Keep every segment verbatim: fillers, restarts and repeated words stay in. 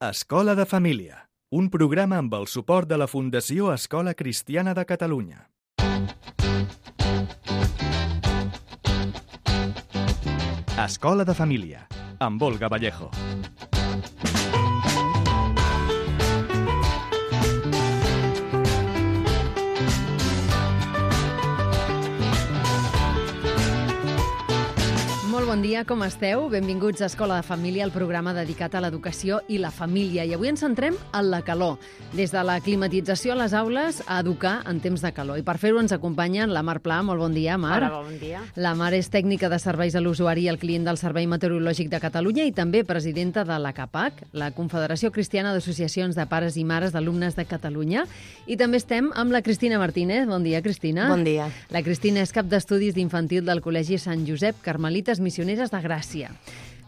Escola de Família, un programa amb el suport de la Fundació Escola Cristiana de Catalunya. Escola de Família, amb Olga Vallejo. Molt bon dia, com esteu? Benvinguts a Escola de Família, el programa dedicat a l'educació i la família. I avui ens centrem en la calor, des de la climatització a les aules a educar en temps de calor. I per fer-ho ens acompanyen la Mar Pla. Molt bon dia, Mar. Hola, bon dia. La Mar és tècnica de serveis a l'usuari i al client del Servei Meteorològic de Catalunya i també presidenta de la CAPAC, la Confederació Cristiana d'Associacions de Pares i Mares d'Alumnes de Catalunya. I també estem amb la Cristina Martínez. Bon dia, Cristina. Bon dia. La Cristina és cap d'estudis d'infantil del Col·legi Sant Josep Carmelites Missioneres de Gràcia.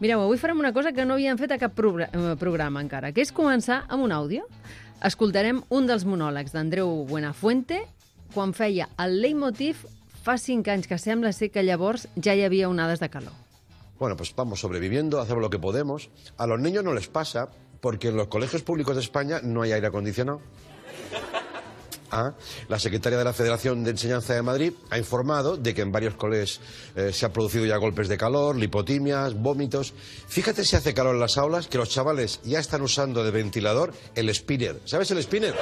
Mireu, avui farem una cosa que no havíem fet a cap programa encara, que és començar amb un àudio. Escoltarem un dels monòlegs d'Andreu Buenafuente quan feia el leitmotiv fa cinc anys, que sembla ser que llavors ja hi havia onades de calor. Bueno, pues vamos sobreviviendo, hacemos lo que podemos. A los niños no les pasa porque en los colegios públicos de España no hay aire acondicionado. Ah, la secretaria de la Federación de Enseñanza de Madrid ha informado de que en varios colegios eh, se han producido ya golpes de calor, lipotimias, vómitos. Fíjate si hace calor en las aulas que los chavales ya están usando de ventilador el spinner. ¿Sabes el spinner?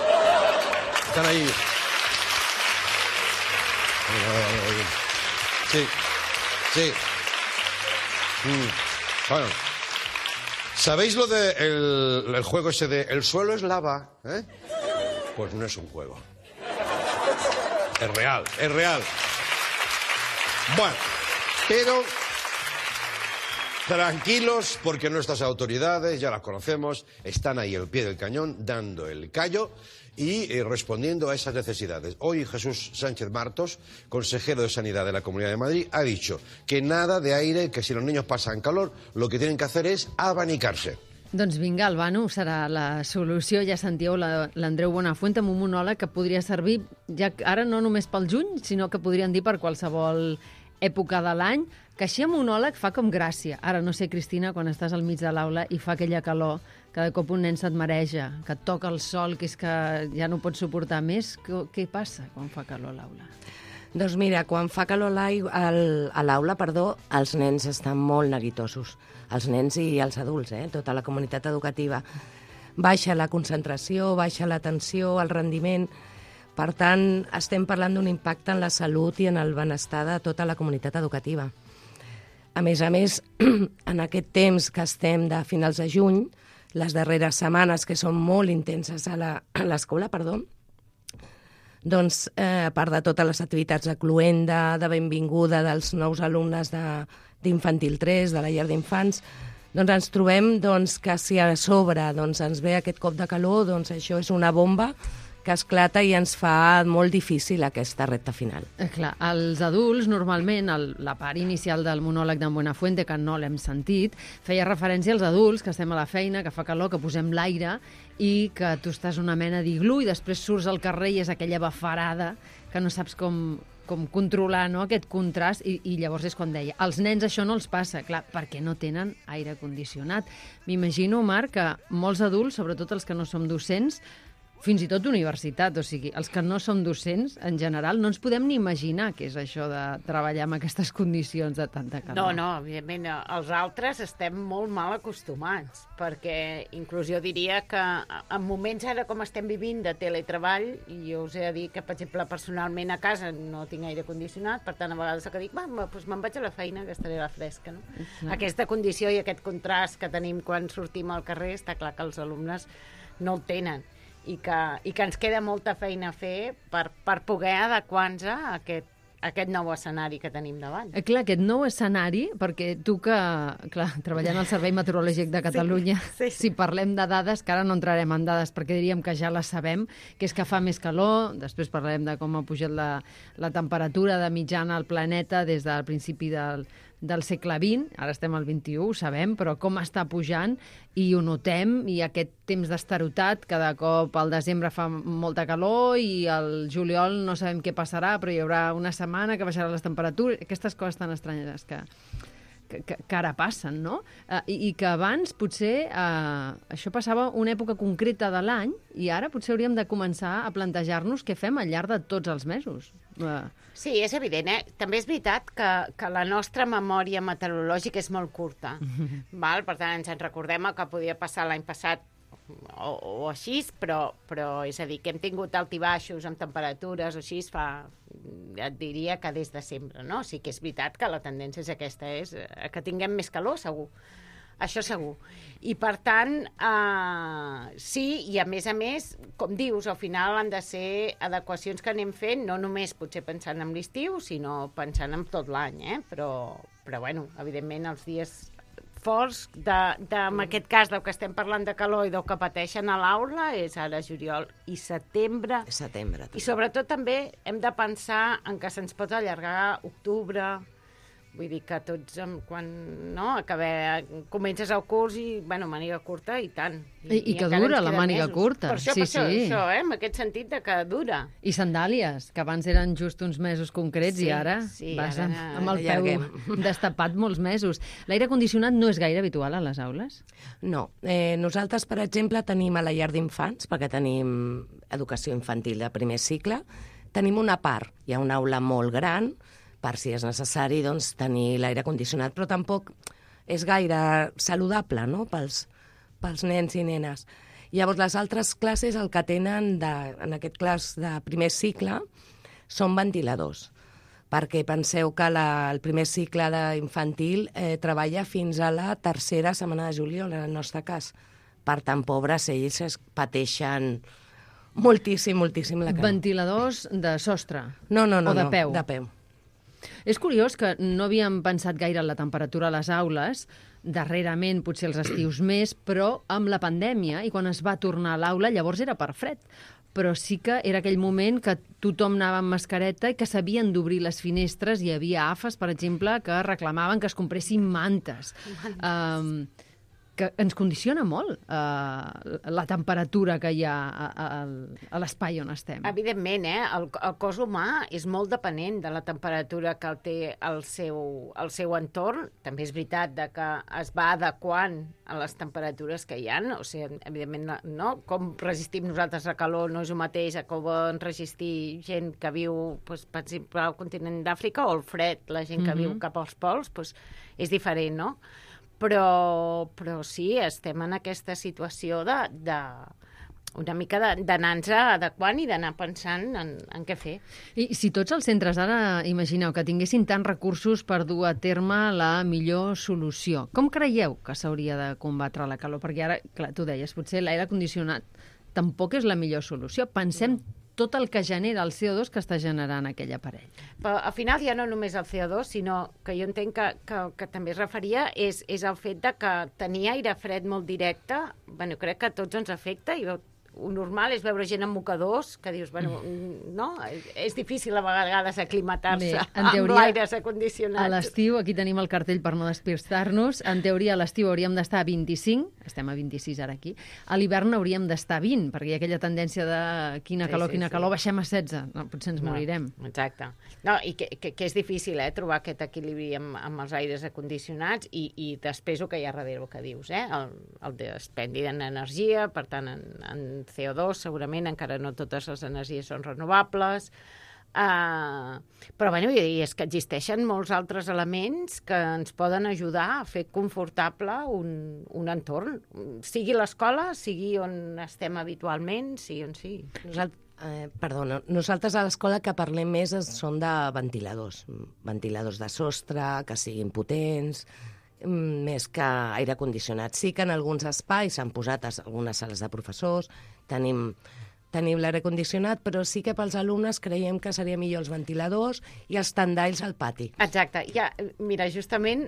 Están ahí. Sí, sí. Mm. Bueno. ¿Sabéis lo de el, el juego ese de el suelo es lava? ¿Eh? Pues no es un juego. Es real, es real. Bueno, pero tranquilos, porque nuestras autoridades, ya las conocemos, están ahí al pie del cañón, dando el callo y eh, respondiendo a esas necesidades. Hoy Jesús Sánchez Martos, consejero de Sanidad de la Comunidad de Madrid, ha dicho que nada de aire, que si los niños pasan calor, lo que tienen que hacer es abanicarse. Doncs vinga, el vano serà la solució. Ja sentíeu l'Andreu Buenafuente amb un monòleg que podria servir ja ara no només pel juny, sinó que podrien dir per qualsevol època de l'any, que així a monòleg fa com gràcia. Ara no sé, Cristina, quan estàs al mig de l'aula i fa aquella calor, que de cop un nen se't mareja, que et toca el sol, que és que ja no pots suportar més. Què, què passa quan fa calor a l'aula? Doncs mira, quan fa calor a l'aula, perdó, els nens estan molt neguitosos. Els nens i els adults, eh? Tota la comunitat educativa. Baixa la concentració, baixa l'atenció, el rendiment. Per tant, estem parlant d'un impacte en la salut i en el benestar de tota la comunitat educativa. A més a més, en aquest temps que estem de finals de juny, les darreres setmanes que són molt intenses a l'escola, perdó, doncs, eh, a part de totes les activitats de cloenda, de benvinguda dels nous alumnes d'infantil tres, de la llar d'infants, doncs ens trobem doncs, que si a sobre doncs, ens ve aquest cop de calor, doncs això és una bomba que esclata i ens fa molt difícil aquesta recta final. Eh, clar, els adults, normalment, el, la part inicial del monòleg d'en Buenafuente, que no l'hem sentit, feia referència als adults, que estem a la feina, que fa calor, que posem l'aire i que tu estàs una mena d'iglú i després surts al carrer i és aquella bafarada que no saps com, com controlar, no?, aquest contrast, i, i llavors és quan deia, als nens això no els passa, clar, perquè no tenen aire condicionat. M'imagino, Marc, que molts adults, sobretot els que no som docents, fins i tot universitat, o sigui, els que no som docents, en general, no ens podem ni imaginar què és això de treballar en aquestes condicions de tanta calor. No, no, evidentment, els altres estem molt mal acostumats, perquè inclús jo diria que en moments ara com estem vivint de teletreball, i jo us he de dir que, per exemple, personalment a casa no tinc aire condicionat, per tant, a vegades el que dic, va, doncs me'n vaig a la feina, que estaré a la fresca, no? Exacte. Aquesta condició i aquest contrast que tenim quan sortim al carrer, està clar que els alumnes no el tenen. I que, i que ens queda molta feina a fer per, per poder adequar-nos a aquest, a aquest nou escenari que tenim davant. Eh, clar, aquest nou escenari, perquè tu que, clar, treballant al Servei Meteorològic de Catalunya, sí, sí. Si parlem de dades, que ara no entrarem en dades perquè diríem que ja les sabem, que és que fa més calor, després parlarem de com ha pujat la, la temperatura de mitjana al planeta des del principi del, del segle vint, ara estem al vint-i-u, ho sabem, però com està pujant i ho notem, i aquest temps d'estarotat, cada cop al desembre fa molta calor i al juliol no sabem què passarà, però hi haurà una setmana que baixarà les temperatures, aquestes coses tan estranyes que, que, que, que ara passen, no? Uh, i, I que abans potser uh, això passava una època concreta de l'any i ara potser hauríem de començar a plantejar-nos què fem al llarg de tots els mesos. Uh. Sí, és evident, eh? També és veritat que, que la nostra memòria meteorològica és molt curta. Val? Per tant, ens en recordem el que podia passar l'any passat o, o així, però, però és a dir, que hem tingut altibaixos amb temperatures o així fa, et diria que des de sempre, no? Sí que és veritat que la tendència és aquesta, és que tinguem més calor, segur. Això segur. I, per tant, eh, sí, i a més a més, com dius, al final han de ser adequacions que anem fent, no només potser pensant en l'estiu, sinó pensant en tot l'any, eh? Però, però, bueno, evidentment, els dies forts, de, de, en aquest cas del que estem parlant de calor i del que pateixen a l'aula, és ara juliol i setembre. Setembre. També. I sobretot també hem de pensar en que se'ns pot allargar octubre. Vull dir que tots, quan no, acabé, comences el curs i, bueno, màniga curta i tant. I, i, i que dura la màniga mesos. curta. Per això, sí, per això, sí. això, eh? En aquest sentit de que dura. I sandàlies, que abans eren just uns mesos concrets Sí, i ara sí, vas ara amb, amb el peu allarguem. destapat molts mesos. L'aire condicionat no és gaire habitual a les aules? No. Eh, nosaltres, per exemple, tenim a la llar d'infants, perquè tenim educació infantil de primer cicle, tenim una part, hi ha una aula molt gran, per si és necessari doncs, tenir l'aire condicionat, però tampoc és gaire saludable, no?, pels, pels nens i nenes. Llavors, les altres classes, el que tenen, de, en aquest clas de primer cicle, són ventiladors, perquè penseu que la, el primer cicle d'infantil eh, treballa fins a la tercera setmana de juliol, en el nostre cas. Per tant, pobres, ells es pateixen moltíssim, moltíssim la calor. Ventiladors de sostre? No, no, no. O de no, peu? De peu. És curiós que no havíem pensat gaire en la temperatura a les aules, darrerament potser els estius més, però amb la pandèmia, i quan es va tornar a l'aula, llavors era per fred. Però sí que era aquell moment que tothom anava amb mascareta i que s'havien d'obrir les finestres. Hi havia A F As, per exemple, que reclamaven que es compressin mantes. Um, que ens condiciona molt uh, la temperatura que hi ha a, a, a l'espai on estem. Evidentment, eh? el, el cos humà és molt depenent de la temperatura que el té el seu, el seu entorn. També és veritat de que es va adequant a les temperatures que hi ha. O sigui, evidentment, no? Com resistim nosaltres la calor no és el mateix a com poden resistir gent que viu, doncs, per exemple, al continent d'Àfrica, o el fred, la gent que mm-hmm. viu cap als pols, doncs, és diferent, no? Però, però sí, estem en aquesta situació de, de una mica d'anar-nos adequant i d'anar pensant en, en què fer. I si tots els centres ara, imagineu, que tinguessin tants recursos per dur a terme la millor solució, com creieu que s'hauria de combatre la calor? Perquè ara, clar, tu deies, potser l'aire condicionat tampoc és la millor solució. Pensem tot el que genera el C O dos que està generant aquell aparell. Però al final ja no només el C O dos, sinó que jo entenc que, que, que també es referia és, és el fet de que tenir aire fred molt directe, bueno, crec que a tots ens afecta i el normal és veure gent amb mocadors que dius, bueno, no? És difícil a vegades aclimatar-se amb l'aire acondicionat. A l'estiu, aquí tenim el cartell per no despistar-nos, en teoria a l'estiu hauríem d'estar a vint-i-cinc, estem a vint-i-sis ara aquí, a l'hivern hauríem d'estar a vint, perquè hi ha aquella tendència de quina calor, sí, sí, quina sí. calor, baixem a setze, no, potser ens no, morirem. Exacte. No, i que, que, que és difícil, eh, trobar aquest equilibri amb, amb els aires acondicionats i, i després el que hi ha darrere, el que dius, eh, el, el despendi d'energia, per tant, en, en C O dos, segurament, encara no totes les energies són renovables, uh, però bueno, i és que existeixen molts altres elements que ens poden ajudar a fer confortable un, un entorn, sigui l'escola, sigui on estem habitualment, sigui on sigui. Nosaltres, eh, perdona, nosaltres a l'escola que parlem més són de ventiladors, ventiladors de sostre, que siguin potents, més que aire condicionat. Sí que en alguns espais s'han posat a algunes sales de professors, tenim, tenim l'aire condicionat, però sí que pels alumnes creiem que seria millor els ventiladors i els tendalls al pati. Exacte. Ja, mira, justament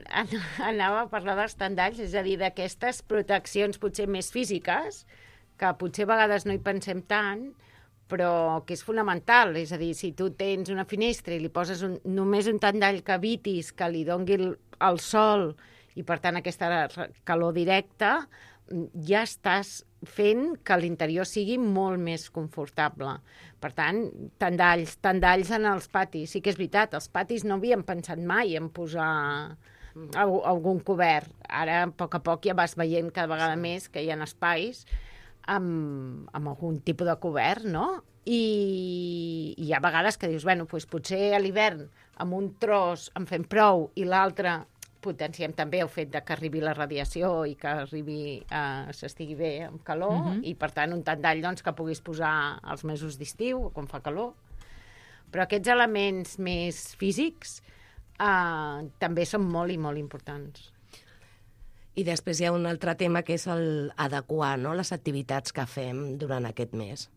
anava a parlar dels tendalls, és a dir, d'aquestes proteccions potser més físiques, que potser a vegades no hi pensem tant, però que és fonamental. És a dir, si tu tens una finestra i li poses un, només un tendall que evitis que li dongui el, el sol i, per tant, aquesta calor directa, ja estàs fent que l'interior sigui molt més confortable. Per tant, tendalls, tendalls en els patis. Sí que és veritat, els patis no havíem pensat mai en posar Alg algun cobert. Ara, a poc a poc, ja vas veient cada vegada sí. més que hi ha espais amb, amb algun tipus de cobert, no? I, i hi ha vegades que dius, bueno, doncs potser a l'hivern amb un tros en fem prou i l'altre potenciem també el fet de que arribi la radiació i que arribi eh, s'estigui bé amb calor uh -huh. i per tant un tendall doncs, que puguis posar als mesos d'estiu quan fa calor. Però aquests elements més físics eh, també són molt i molt importants. I després hi ha un altre tema que és el adequar, no?, les activitats que fem durant aquest mes.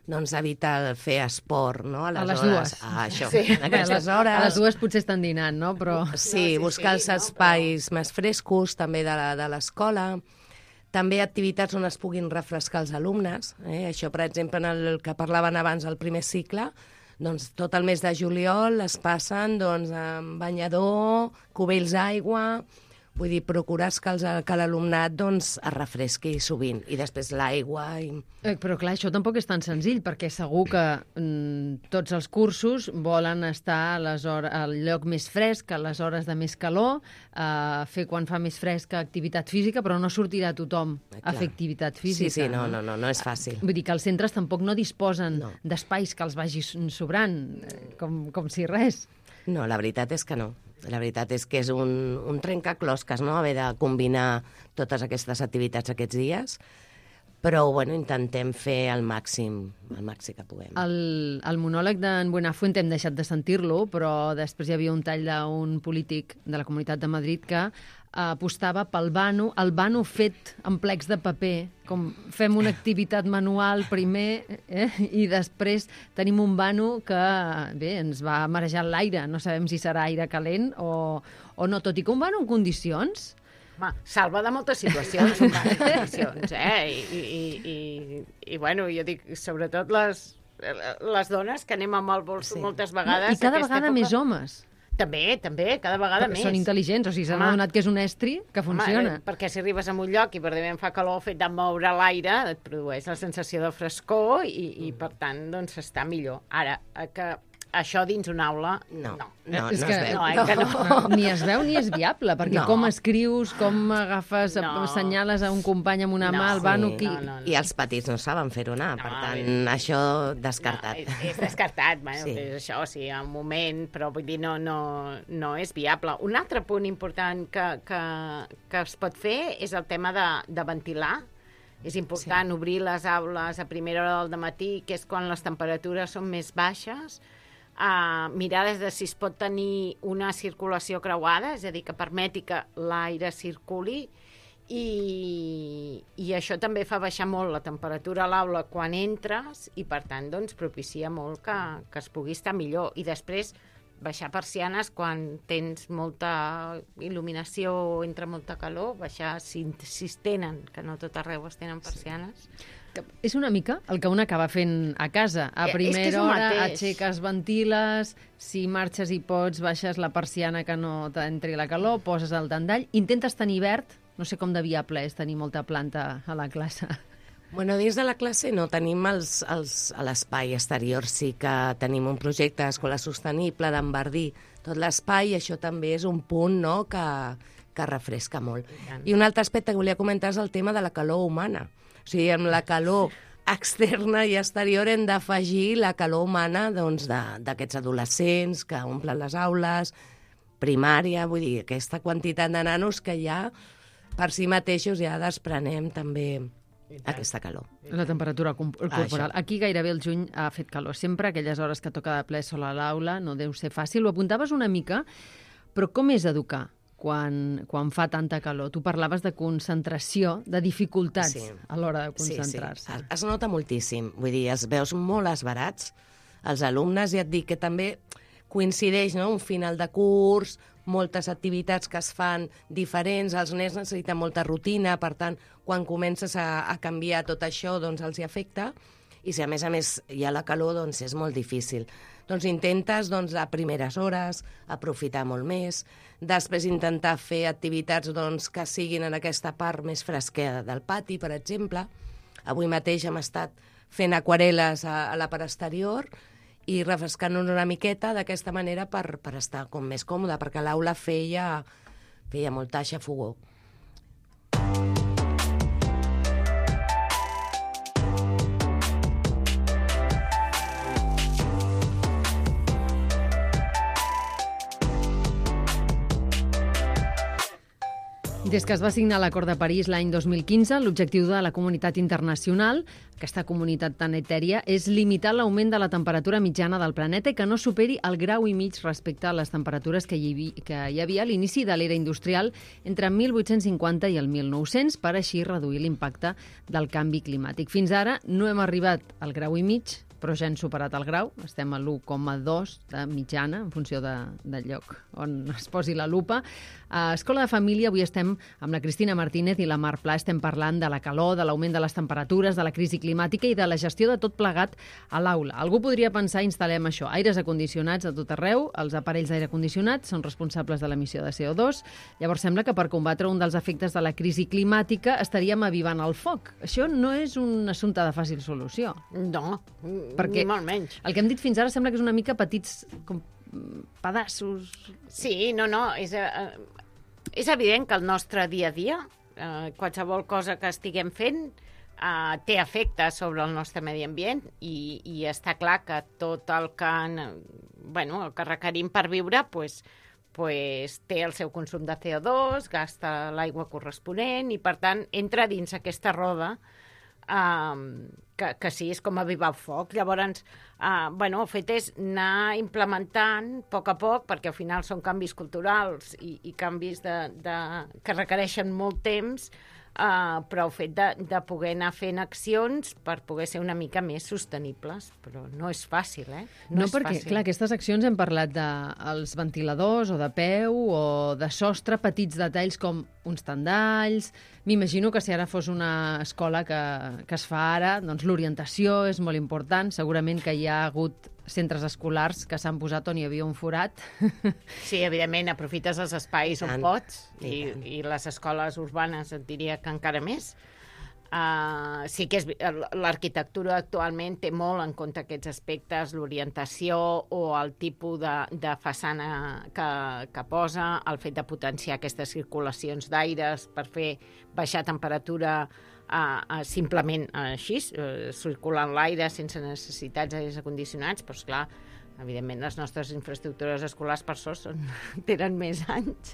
Doncs evitar fer esport, no? A les, a les hores... dues. Ah, això. Sí. A aquestes hores... A les dues potser estan dinant, no? Però... Sí, no, sí buscar sí, els no, espais però... més frescos, també de l'escola. També activitats on es puguin refrescar els alumnes. Eh? Això, per exemple, en el que parlaven abans del primer cicle, doncs tot el mes de juliol es passen doncs, amb banyador, cubells d'aigua... Vull dir, procurar que, els, que l'alumnat doncs, es refresqui sovint. I després l'aigua... I... Eh, però clar, això tampoc és tan senzill, perquè segur que mm, tots els cursos volen estar a les hores, al lloc més fresc, a les hores de més calor, eh, fer quan fa més fresca activitat física, però no sortirà tothom eh, a fer activitat física. Sí, sí, no, no, no, no és fàcil. Vull dir que els centres tampoc no disposen no. d'espais que els vagi sobrant, com, com si res. No, la veritat és que no. La veritat és que és un, un trencaclosques, no?, haver de combinar totes aquestes activitats aquests dies, però, bueno, intentem fer el màxim, el màxim que puguem. El, el monòleg d'en Buenafuente hem deixat de sentir-lo, però després hi havia un tall d'un polític de la Comunitat de Madrid que apostava pel vano, el vano fet amb plecs de paper, com fem una activitat manual primer eh, i després tenim un vano que, bé, ens va marejar l'aire, no sabem si serà aire calent o, o no, tot i que un vano en condicions... Home, salva de moltes situacions, un vano en condicions, eh? I, i, i, i, bueno, jo dic, sobretot les, les dones que anem amb el bolso sí. moltes vegades... No, I cada vegada època... més homes. També, també, cada vegada Però més. són intel·ligents, o sigui, s'han adonat que és un estri que funciona. Home, perquè si arribes a un lloc i verdament fa calor, el fet de moure l'aire et produeix la sensació de frescor i, i per tant, doncs, està millor. Ara, que això dins una aula, no. No, no, és no que, es veu. No, eh, que no. No, ni es veu ni és viable, perquè No. com escrius, com agafes, No. senyales a un company amb una No, mà, el vano... sí, Qui... no, no, no. I els petits no saben fer-ho anar, No, per a tant, veure. això descartat. No, és, és descartat, bueno, Sí. és això, sí, un moment, però vull dir, no, no, no és viable. Un altre punt important que, que, que es pot fer és el tema de, de ventilar. És important sí. obrir les aules a primera hora del matí, que és quan les temperatures són més baixes, Uh, mirar des de si es pot tenir una circulació creuada, és a dir, que permeti que l'aire circuli i, i això també fa baixar molt la temperatura a l'aula quan entres i, per tant, doncs, propicia molt que, que es pugui estar millor. I després baixar persianes quan tens molta il·luminació o entra molta calor, baixar si, si es tenen, que no tot arreu es tenen persianes. És una mica el que un acaba fent a casa. A Eh, és que és primera el hora mateix. aixeques, ventiles, si marxes i pots, baixes la persiana que no t'entri la calor, poses el tendall, intentes tenir verd, no sé com de viable és tenir molta planta a la classe. Bueno, dins de la classe no, tenim els, els, a l'espai exterior, sí que tenim un projecte d'escola sostenible, d'enverdir tot l'espai, i això també és un punt, no?, que, que refresca molt. I, I un altre aspecte que volia comentar és el tema de la calor humana. O sigui, amb la calor externa i exterior hem d'afegir la calor humana doncs, d'aquests adolescents que omplen les aules, primària, vull dir, aquesta quantitat de nanos que ja per si mateixos ja desprenem també aquesta calor. La temperatura corporal. Ah, Aquí gairebé el juny ha fet calor. Sempre aquelles hores que toca de ple sol a l'aula no deu ser fàcil. Ho apuntaves una mica, però com és educar quan, quan fa tanta calor? Tu parlaves de concentració, de dificultats Sí. a l'hora de concentrar-se. Sí, sí. Es nota moltíssim. Vull dir, els veus molt esbarats, els alumnes, i et dic que també coincideix, no?, un final de curs, moltes activitats que es fan diferents, els nens necessiten molta rutina, per tant, quan comences a, a canviar tot això, doncs els hi afecta, i si a més a més hi ha la calor, doncs és molt difícil. Doncs intentes, doncs, a primeres hores, aprofitar molt més, després intentar fer activitats, doncs, que siguin en aquesta part més fresqueda del pati, per exemple. Avui mateix hem estat fent aquarel·les a, a la part exterior i refrescant-nos una miqueta d'aquesta manera per, per estar com més còmode, perquè l'aula feia feia molta xafogó. Des que es va signar l'Acord de París l'any dos mil quinze, l'objectiu de la comunitat internacional, aquesta comunitat tan etèria, és limitar l'augment de la temperatura mitjana del planeta i que no superi el grau i mig respecte a les temperatures que hi havia, que hi havia a l'inici de l'era industrial entre mil vuit-cents cinquanta i el mil nou-cents per així reduir l'impacte del canvi climàtic. Fins ara no hem arribat al grau i mig, però ja hem superat el grau, estem a l'u coma dos de mitjana, en funció de, del lloc on es posi la lupa. A Escola de Família avui estem amb la Cristina Martínez i la Mar Pla, estem parlant de la calor, de l'augment de les temperatures, de la crisi climàtica i de la gestió de tot plegat a l'aula. Algú podria pensar, instal·lem això, aires acondicionats a tot arreu, els aparells d'aire condicionat són responsables de l'emissió de C O dos, llavors sembla que per combatre un dels efectes de la crisi climàtica estaríem avivant el foc. Això no és un assumpte de fàcil solució. No, perquè ni molt menys. El que hem dit fins ara sembla que és una mica petits com pedaços. Sí, no, no, és, eh, és evident que el nostre dia a dia, eh, qualsevol cosa que estiguem fent, eh, té efecte sobre el nostre medi ambient i, i està clar que tot el que, bueno, el que requerim per viure, pues, pues, té el seu consum de C O dos, gasta l'aigua corresponent i, per tant, entra dins aquesta roda Um, que, que sí, és com avivar el foc. Llavors, uh, bueno, el fet és anar implementant a poc a poc, perquè al final són canvis culturals i, i canvis de, de, que requereixen molt temps, uh, però el fet de, de poder anar fent accions per poder ser una mica més sostenibles, però no és fàcil, eh? No, és perquè, fàcil. clar, aquestes accions hem parlat dels de ventiladors o de peu o de sostre, petits detalls com uns tendalls. M'imagino que si ara fos una escola que, que es fa ara, doncs l'orientació és molt important. Segurament que hi ha hagut centres escolars que s'han posat on hi havia un forat. Sí, evidentment, aprofites els espais on tant, pots i i, tant. i les escoles urbanes et diria que encara més. Uh, sí que és, l'arquitectura actualment té molt en compte aquests aspectes, l'orientació o el tipus de, de façana que, que posa, el fet de potenciar aquestes circulacions d'aires per fer baixar temperatura uh, uh, simplement uh, així, uh, circulant l'aire sense necessitats d'aires acondicionats, però esclar, evidentment les nostres infraestructures escolars per sort són, tenen més anys.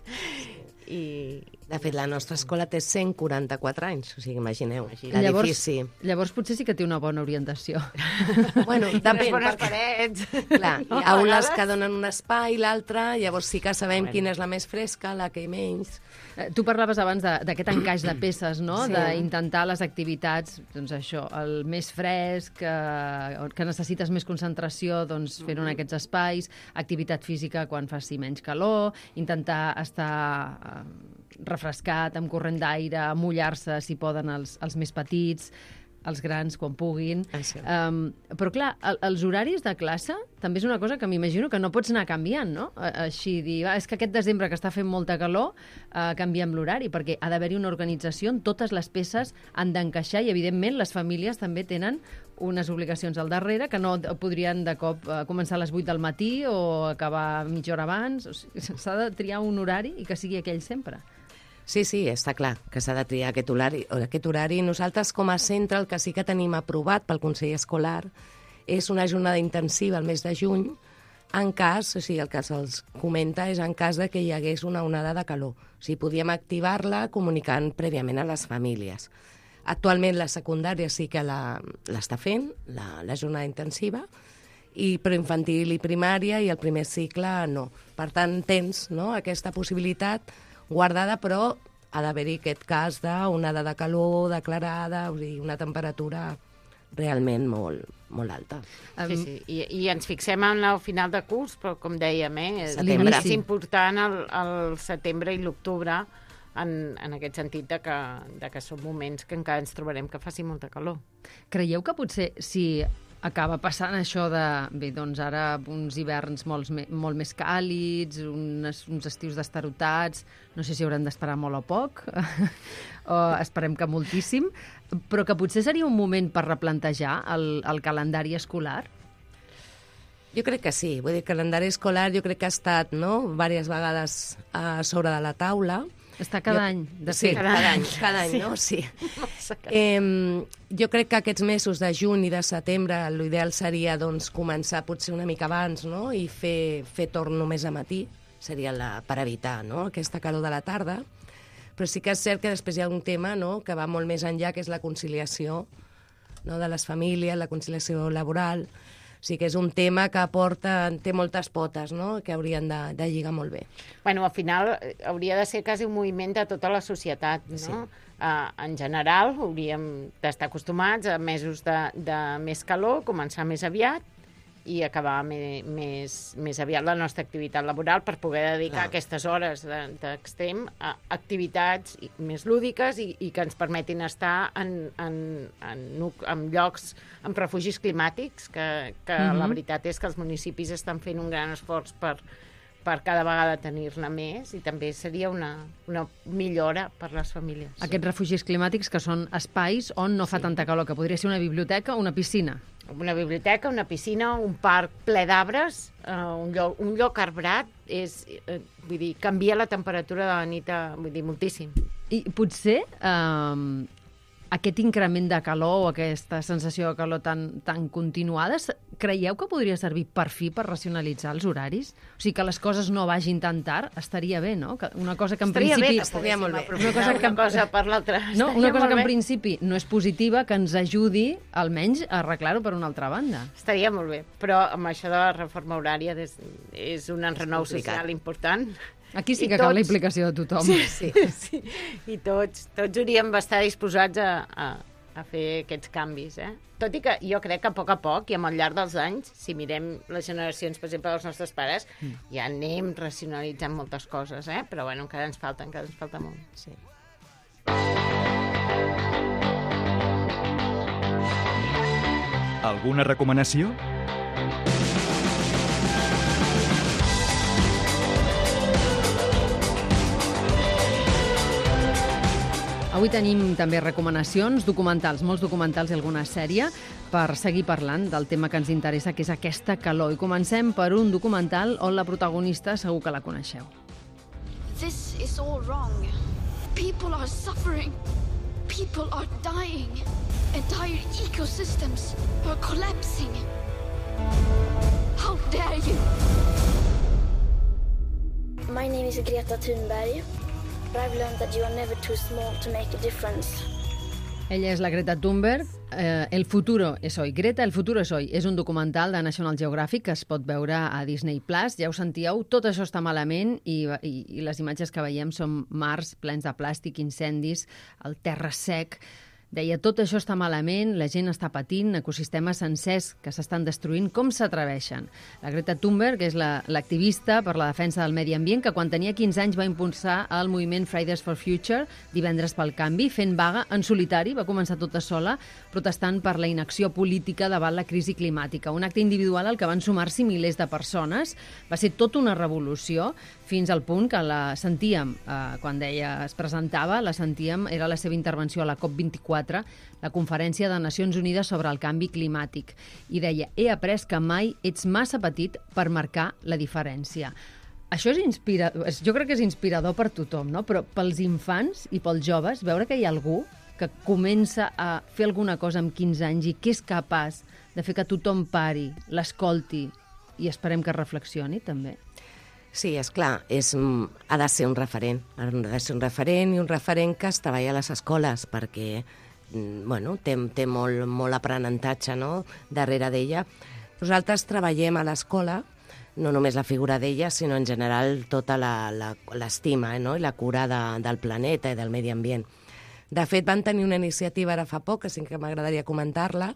I... De fet, la nostra escola té cent quaranta-quatre anys, o sigui, imagineu, Llavors, l'edifici. llavors potser sí que té una bona orientació. Bueno, Unes depèn, bones perquè, parets. clar, No, hi ha a unes vegades. que donen un espai, l'altra, llavors sí que sabem Bueno. quina és la més fresca, la que menys. Eh, Tu parlaves abans de- d'aquest encaix de peces, no? Sí. D'intentar les activitats, doncs això, el més fresc, que, que necessites més concentració, doncs fer-ho en aquests espais, activitat física quan faci menys calor, intentar estar eh, refrescat, amb corrent d'aire, mullar-se, si poden, els, els més petits, els grans, quan puguin. Ah, sí. Um, però, clar, el, els horaris de classe també és una cosa que m'imagino que no pots anar canviant, no? A- Així, dir, ah, és que aquest desembre que està fent molta calor, uh, canviem l'horari, perquè ha d'haver-hi una organització on totes les peces han d'encaixar i, evidentment, les famílies també tenen unes obligacions al darrere que no podrien de cop uh, començar a les vuit del matí o acabar mitja hora abans. O sigui, s'ha de triar un horari i que sigui aquell sempre. Sí, sí, està clar que s'ha de triar aquest horari. Aquest horari. Nosaltres, com a centre, el que sí que tenim aprovat pel Consell Escolar és una jornada intensiva al mes de juny, en cas, o sigui, el que se'ls comenta és en cas de que hi hagués una onada de calor. O sigui, podíem activar-la comunicant prèviament a les famílies. Actualment la secundària sí que la- l'està fent, la, la jornada intensiva, i però infantil i primària i el primer cicle no. Per tant, tens, no, aquesta possibilitat guardada, però ha d'haver-hi aquest cas d'onada de calor declarada, o sigui, una temperatura realment molt, molt alta. Sí, sí. I, I ens fixem en el final de curs, però com dèiem, eh, és, Setembre. és important el, el setembre i l'octubre en, en aquest sentit de que, de que són moments que encara ens trobarem que faci molta calor. Creieu que potser si acaba passant això de, bé, doncs ara uns hiverns molt, molt més càlids, unes, uns estius destarotats, no sé si haurem d'esperar molt o poc, o esperem que moltíssim, però que potser seria un moment per replantejar el, el calendari escolar? Jo crec que sí. Vull dir, el calendari escolar jo crec que ha estat, no?, diverses vegades a sobre de la taula. Està cada jo... any, de sí, fet. cada any, cada any, sí. no? Sí. Eh, jo crec que aquests mesos de juny i de setembre l'ideal seria doncs, començar potser una mica abans, no?, i fer, fer torn només a matí, seria la, per evitar, no?, aquesta calor de la tarda. Però sí que és cert que després hi ha un tema, no?, que va molt més enllà, que és la conciliació, no?, de les famílies, la conciliació laboral. O sigui que és un tema que aporta, té moltes potes, no?, que haurien de, de lligar molt bé. Bueno, al final hauria de ser quasi un moviment de tota la societat, no? Sí. Uh, en general hauríem d'estar acostumats a mesos de, de més calor, començar més aviat i acabar me, més, més aviat la nostra activitat laboral per poder dedicar Clar. aquestes hores d'extrem a activitats més lúdiques i, i que ens permetin estar en, en, en, en llocs, en refugis climàtics, que, que mm-hmm. la veritat és que els municipis estan fent un gran esforç per, per cada vegada tenir-ne més i també seria una, una millora per les famílies. Aquests refugis climàtics que són espais on no fa sí. tanta calor, que podria ser una biblioteca o una piscina. Una biblioteca, una piscina, un parc ple d'arbres, uh, un, lloc, un lloc arbrat, és, uh, vull dir, canvia la temperatura de la nit, a, vull dir, moltíssim. I potser um, aquest increment de calor o aquesta sensació de calor tan, tan continuada, creieu que podria servir per fi per racionalitzar els horaris? O sigui, que les coses no vagin tan tard, estaria bé, no? Que una cosa que en estaria principi... Bé, estaria molt bé. Una cosa que, una cosa per l'altra. No, una cosa que en principi no és positiva, que ens ajudi almenys a arreglar-ho per una altra banda. Estaria molt bé, però amb això de la reforma horària és, és un enrenou social important. Aquí sí que cal la implicació de tothom. Sí, sí, sí. I tots, tots hauríem d'estar disposats a, a, a fer aquests canvis, eh? Tot i que jo crec que a poc a poc i amb el llarg dels anys, si mirem les generacions, per exemple, dels nostres pares, mm. ja anem racionalitzant moltes coses, eh? Però bueno, encara ens falta, encara ens falta molt. Sí. Alguna recomanació? Avui tenim també recomanacions, documentals, molts documentals i alguna sèrie, per seguir parlant del tema que ens interessa, que és aquesta calor. I comencem per un documental on la protagonista segur que la coneixeu. This is all wrong. People are suffering. People are dying. Entire ecosystems are collapsing. How dare you? My name is Greta Thunberg. I've learned that you are never too small to make a difference. Ella és la Greta Thunberg. Eh, El futuro es hoy. Greta, El futuro es hoy. És un documental de National Geographic que es pot veure a Disney Plus. Ja ho sentíeu, tot això està malament i, i, i les imatges que veiem són mars plens de plàstic, incendis, el terra sec. Deia, tot això està malament, la gent està patint, ecosistemes sencers que s'estan destruint, com s'atreveixen? La Greta Thunberg és l'activista la, per la defensa del medi ambient que quan tenia quinze anys va impulsar el moviment Fridays for Future, Divendres pel Canvi, fent vaga en solitari, va començar tota sola, protestant per la inacció política davant la crisi climàtica. Un acte individual al que van sumar-s'hi milers de persones. Va ser tota una revolució, fins al punt que la sentíem, eh, quan ella es presentava, la sentíem, era la seva intervenció a la COP vint-i-quatre, la Conferència de Nacions Unides sobre el Canvi Climàtic. I deia, he après que mai ets massa petit per marcar la diferència. Això és inspirador, jo crec que és inspirador per tothom, no? Però pels infants i pels joves, veure que hi ha algú que comença a fer alguna cosa amb quinze anys i que és capaç de fer que tothom pari, l'escolti i esperem que reflexioni, també. Sí, és clar, és, ha de ser un referent. Ha de ser un referent i un referent que es treballa a les escoles, perquè bueno, té, té molt, molt aprenentatge, no?, darrere d'ella. Nosaltres treballem a l'escola, no només la figura d'ella, sinó en general tota l'estima, eh, no?, i la cura de, del planeta i del medi ambient. De fet, van tenir una iniciativa ara fa poc, que sí que m'agradaria comentar-la,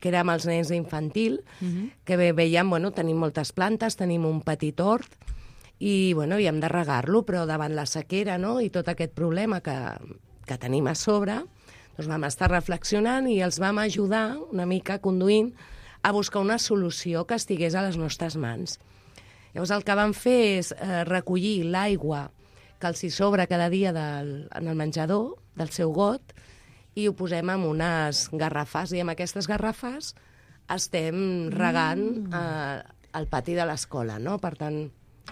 que era amb els nens d'infantil, uh-huh. que veiem, bueno, tenim moltes plantes, tenim un petit hort, i, bueno, i hem de regar-lo, però davant la sequera, no?, i tot aquest problema que, que tenim a sobre, doncs vam estar reflexionant i els vam ajudar una mica conduint a buscar una solució que estigués a les nostres mans. Llavors el que vam fer és eh, recollir l'aigua que els hi sobra cada dia del, en el menjador, del seu got, i ho posem en unes garrafes, i amb aquestes garrafes estem regant eh, al pati de l'escola, no? Per tant,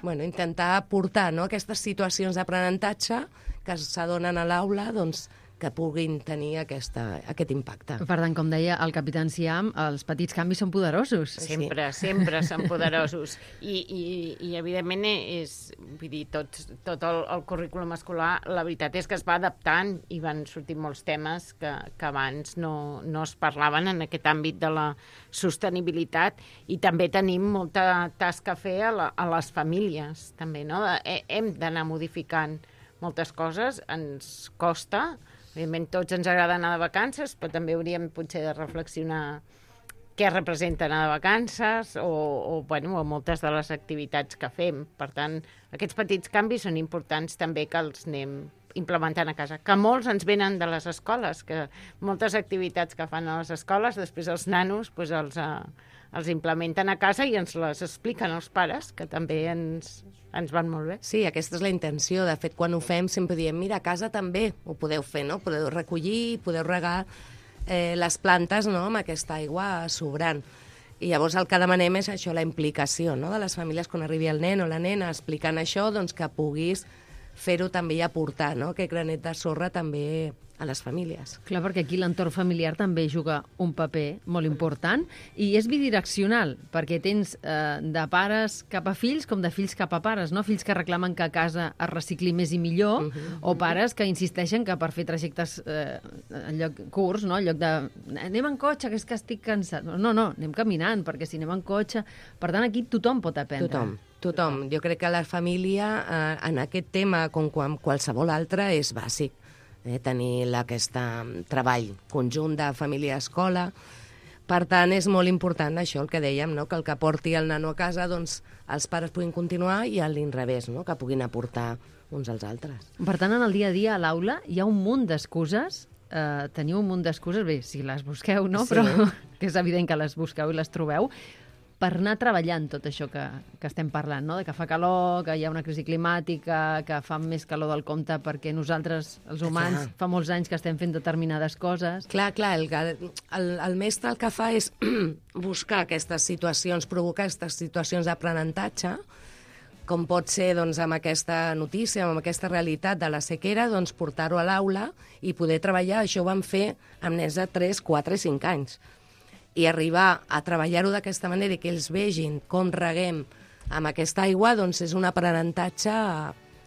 bueno, intentar portar, no, aquestes situacions d'aprenentatge que s'adonen a l'aula, doncs, que puguin tenir aquesta, aquest impacte. Per tant, com deia el capità Enciam, els petits canvis són poderosos. Sempre, sí. sempre són poderosos. I, i, i evidentment, és, vull dir, tot, tot el, el currículum escolar, la veritat és que es va adaptant i van sortir molts temes que, que abans no, no es parlaven en aquest àmbit de la sostenibilitat, i també tenim molta tasca a fer a, la, a les famílies, també, no? Hem d'anar modificant moltes coses, ens costa. Evidentment, tots ens agrada anar de vacances, però també hauríem potser de reflexionar què representa anar de vacances o, o, bueno, o moltes de les activitats que fem. Per tant, aquests petits canvis són importants també que els anem implementant a casa, que molts ens venen de les escoles, que moltes activitats que fan a les escoles, després els nanos pues, els, uh, els implementen a casa i ens les expliquen als pares, que també ens, ens van molt bé. Sí, aquesta és la intenció. De fet, quan ho fem sempre diem, mira, a casa també ho podeu fer, no? Podeu recollir, podeu regar eh, les plantes, no?, amb aquesta aigua sobrant. I llavors el que demanem és això, la implicació, no?, de les famílies quan arribi el nen o la nena explicant això, doncs que puguis fer-ho també i aportar, no?, aquest granet de sorra també a les famílies. Clar, perquè aquí l'entorn familiar també juga un paper molt important i és bidireccional, perquè tens eh, de pares cap a fills com de fills cap a pares, no? Fills que reclamen que a casa es recicli més i millor, uh -huh. o pares que insisteixen que per fer trajectes eh, en lloc curts, no? En lloc de anem en cotxe, que és que estic cansat. No, no, anem caminant, perquè si anem en cotxe... Per tant, aquí tothom pot aprendre. Tothom. Tothom. Jo crec que la família, eh, en aquest tema, com quan qualsevol altre, és bàsic. Eh, tenir aquest treball conjunt de família-escola. Per tant, és molt important això, el que dèiem, no?, que el que porti el nano a casa, doncs, els pares puguin continuar i a l'inrevés, no?, que puguin aportar uns als altres. Per tant, en el dia a dia a l'aula hi ha un munt d'excuses, eh, teniu un munt d'excuses, bé, si les busqueu, no?, sí. Però que és evident que les busqueu i les trobeu, per anar treballant tot això que, que estem parlant, no? De que fa calor, que hi ha una crisi climàtica, que fa més calor del compte perquè nosaltres, els humans, clar, fa molts anys que estem fent determinades coses. Clar, clar, el, el, el mestre el que fa és buscar aquestes situacions, provocar aquestes situacions d'aprenentatge, com pot ser doncs, amb aquesta notícia, amb aquesta realitat de la sequera, doncs, portar-ho a l'aula i poder treballar. Això ho vam fer amb nens de tres, quatre i cinc anys. I arribar a treballar-ho d'aquesta manera i que ells vegin com reguem amb aquesta aigua, doncs és un aprenentatge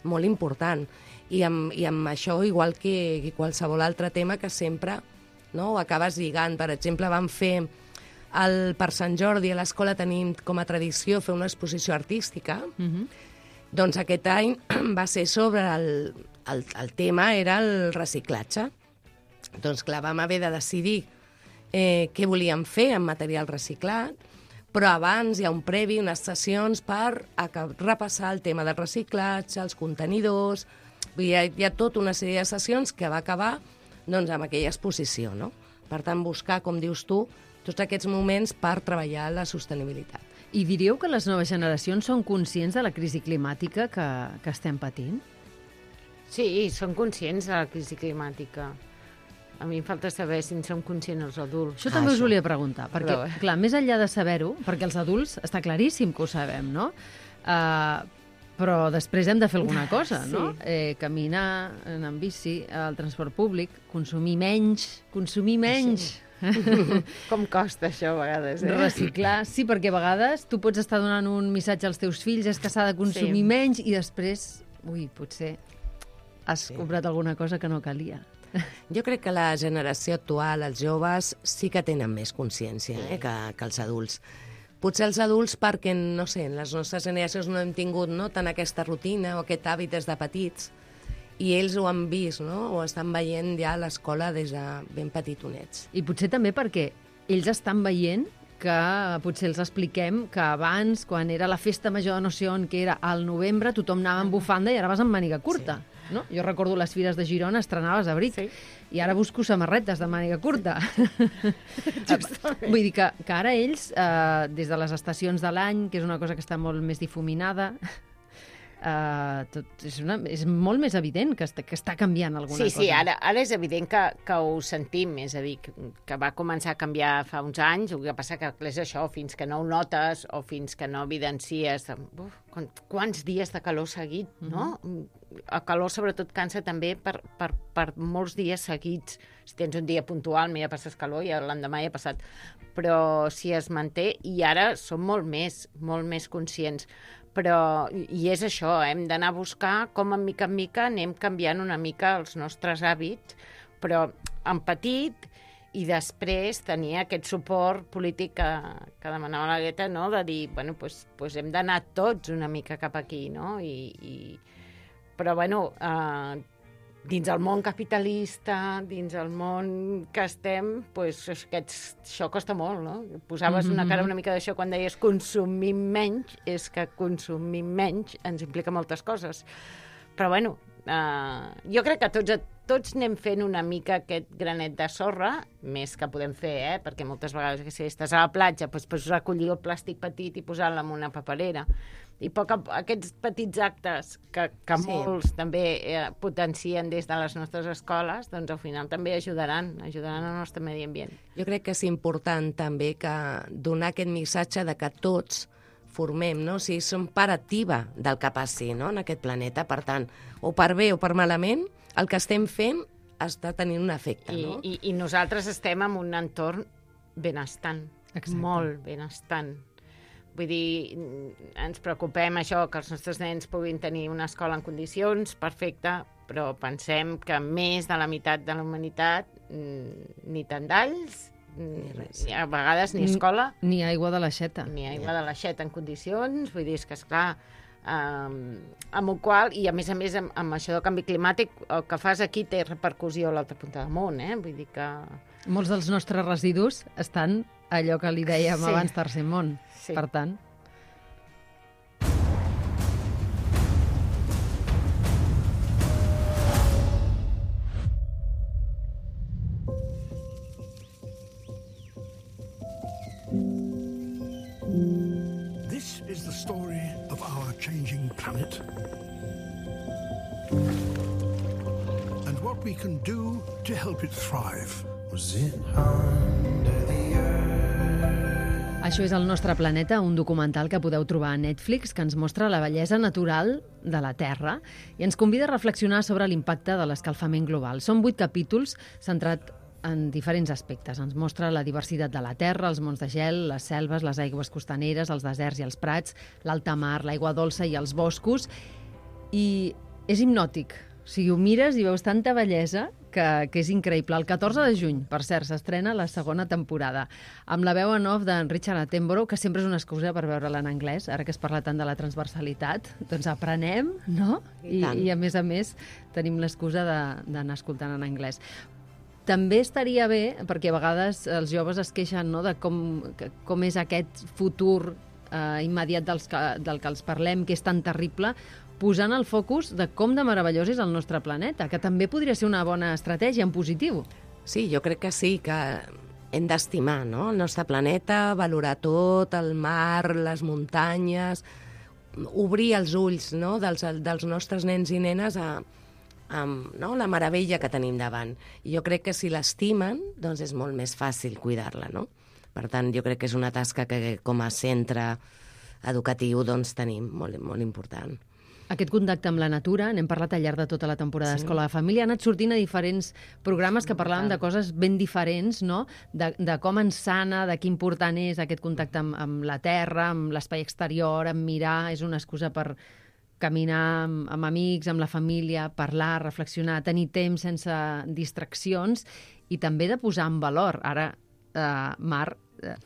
molt important. I amb, i amb això, igual que, que qualsevol altre tema, que sempre, no, ho acabes lligant. Per exemple, vam fer, el, per Sant Jordi a l'escola tenim com a tradició fer una exposició artística. Uh-huh. Doncs aquest any va ser sobre el, el, el tema, era el reciclatge. Doncs clar, vam haver de decidir Eh, què volíem fer amb material reciclat, però abans hi ha un previ, unes sessions per repassar el tema del reciclatge, els contenidors... Hi ha, hi ha tota una sèrie de sessions que va acabar doncs, amb aquella exposició, no? Per tant, buscar, com dius tu, tots aquests moments per treballar la sostenibilitat. I diríeu que les noves generacions són conscients de la crisi climàtica que, que estem patint? Sí, són conscients de la crisi climàtica. A mi em falta saber si en som conscients els adults. Això també ah, us això. volia preguntar, perquè, Però... clar, més enllà de saber-ho, perquè els adults està claríssim que ho sabem, no? Uh, però després hem de fer alguna cosa, sí. no? Eh, caminar, anar en bici, al transport públic, consumir menys, consumir menys... Sí. Com costa això a vegades, eh? Reciclar, sí, perquè a vegades tu pots estar donant un missatge als teus fills, és que s'ha de consumir sí. menys, i després, ui, potser has sí. comprat alguna cosa que no calia. Jo crec que la generació actual, els joves, sí que tenen més consciència eh, que, que els adults. Potser els adults perquè, no sé, en les nostres generacions no hem tingut no, tant aquesta rutina o aquest hàbit des de petits, i ells ho han vist, no? O estan veient ja a l'escola des de ben petitonets. I potser també perquè ells estan veient que potser els expliquem que abans, quan era la festa major de no sé on, que era al novembre, tothom anava amb bufanda i ara vas amb màniga curta. Sí. No? Jo recordo les fires de Girona, estrenaves abric, sí. i ara busco samarretes de màniga curta. Vull dir que, que ara ells, eh, des de les estacions de l'any, que és una cosa que està molt més difuminada, Uh, tot, és, una, és molt més evident que està, que està canviant alguna sí, cosa. Sí, sí, ara, ara és evident que, que ho sentim, és a dir, que, que va començar a canviar fa uns anys, el que passa que és això, fins que no ho notes o fins que no evidencies uf, quants dies de calor seguit, no? Mm-hmm. El calor sobretot cansa també per, per, per molts dies seguits. Si tens un dia puntual, ja passes calor i l'endemà ja ha passat. Però si es manté, i ara som molt més, molt més conscients. Però, i és això, hem d'anar a buscar com en mica en mica anem canviant una mica els nostres hàbits, però en petit, i després tenir aquest suport polític que, que demanava la Greta, no? De dir, bueno, pues, pues hem d'anar tots una mica cap aquí, no? I, i... Però, bueno, eh, dins el món capitalista, dins el món que estem, pues, aquests, això costa molt, no? Posaves mm-hmm. una cara una mica d'això quan deies consumim menys, és que consumim menys ens implica moltes coses. Però, bueno, eh, jo crec que tots, tots anem fent una mica aquest granet de sorra, més que podem fer, eh? Perquè moltes vegades, que si estàs a la platja, doncs pots recollir el plàstic petit i posar-lo en una paperera. I poc a, aquests petits actes que, que sí. molts també eh, potencien des de les nostres escoles, doncs al final també ajudaran, ajudaran al nostre medi ambient. Jo crec que és important també que donar aquest missatge de que tots formem, no? O sigui, som part activa del que passi, no? En aquest planeta. Per tant, o per bé o per malament, el que estem fent està tenint un efecte, I, no? I, i nosaltres estem en un entorn benestant, Exacte. molt benestant. Vull dir, ens preocupem això, que els nostres nens puguin tenir una escola en condicions, perfecte, però pensem que més de la meitat de la humanitat ni tendalls, ni, res. ni a vegades ni escola, ni, ni aigua de l'aixeta. Ni aigua de l'aixeta en condicions, vull dir, és que esclar, um, amb el qual, i a més a més amb, amb això del canvi climàtic, el que fas aquí té repercussió a l'altra punta del món, eh? Vull dir que... Molts dels nostres residus estan allò que li dèiem sí. abans tercer món. Sí. Per tant... This is the story of our changing planet. And what we can do to help it thrive. Was it under the earth? Això és El nostre planeta, un documental que podeu trobar a Netflix que ens mostra la bellesa natural de la Terra i ens convida a reflexionar sobre l'impacte de l'escalfament global. Són vuit capítols centrats en diferents aspectes. Ens mostra la diversitat de la Terra, els mons de gel, les selves, les aigües costaneres, els deserts i els prats, l'alta mar, l'aigua dolça i els boscos. I és hipnòtic. O sigui, ho mires i veus tanta bellesa que, que és increïble. El catorze de juny, per cert, s'estrena la segona temporada, amb la veu en off d'en Richard Attenborough, que sempre és una excusa per veure-la en anglès, ara que es parla tant de la transversalitat. Doncs aprenem, no? I, I, i a més a més, tenim l'excusa d'anar escoltant en anglès. També estaria bé, perquè a vegades els joves es queixen, no?, de com, com és aquest futur eh, immediat dels que, del que els parlem, que és tan terrible, posant el focus de com de meravellós és el nostre planeta, que també podria ser una bona estratègia en positiu. Sí, jo crec que sí, que hem d'estimar, no?, el nostre planeta, valorar tot, el mar, les muntanyes, obrir els ulls, no?, dels, dels nostres nens i nenes a, a no?, la meravella que tenim davant. I jo crec que si l'estimen, doncs és molt més fàcil cuidar-la, no? Per tant, jo crec que és una tasca que com a centre educatiu doncs tenim molt, molt important. Aquest contacte amb la natura, n'hem parlat al llarg de tota la temporada sí. d'Escola de Família, ha anat sortint a diferents programes que parlàvem de coses ben diferents, no? De, de com ens sana, de quin important és aquest contacte amb, amb la terra, amb l'espai exterior, amb mirar, és una excusa per caminar amb, amb amics, amb la família, parlar, reflexionar, tenir temps sense distraccions i també de posar en valor. Ara, eh, Mar, eh,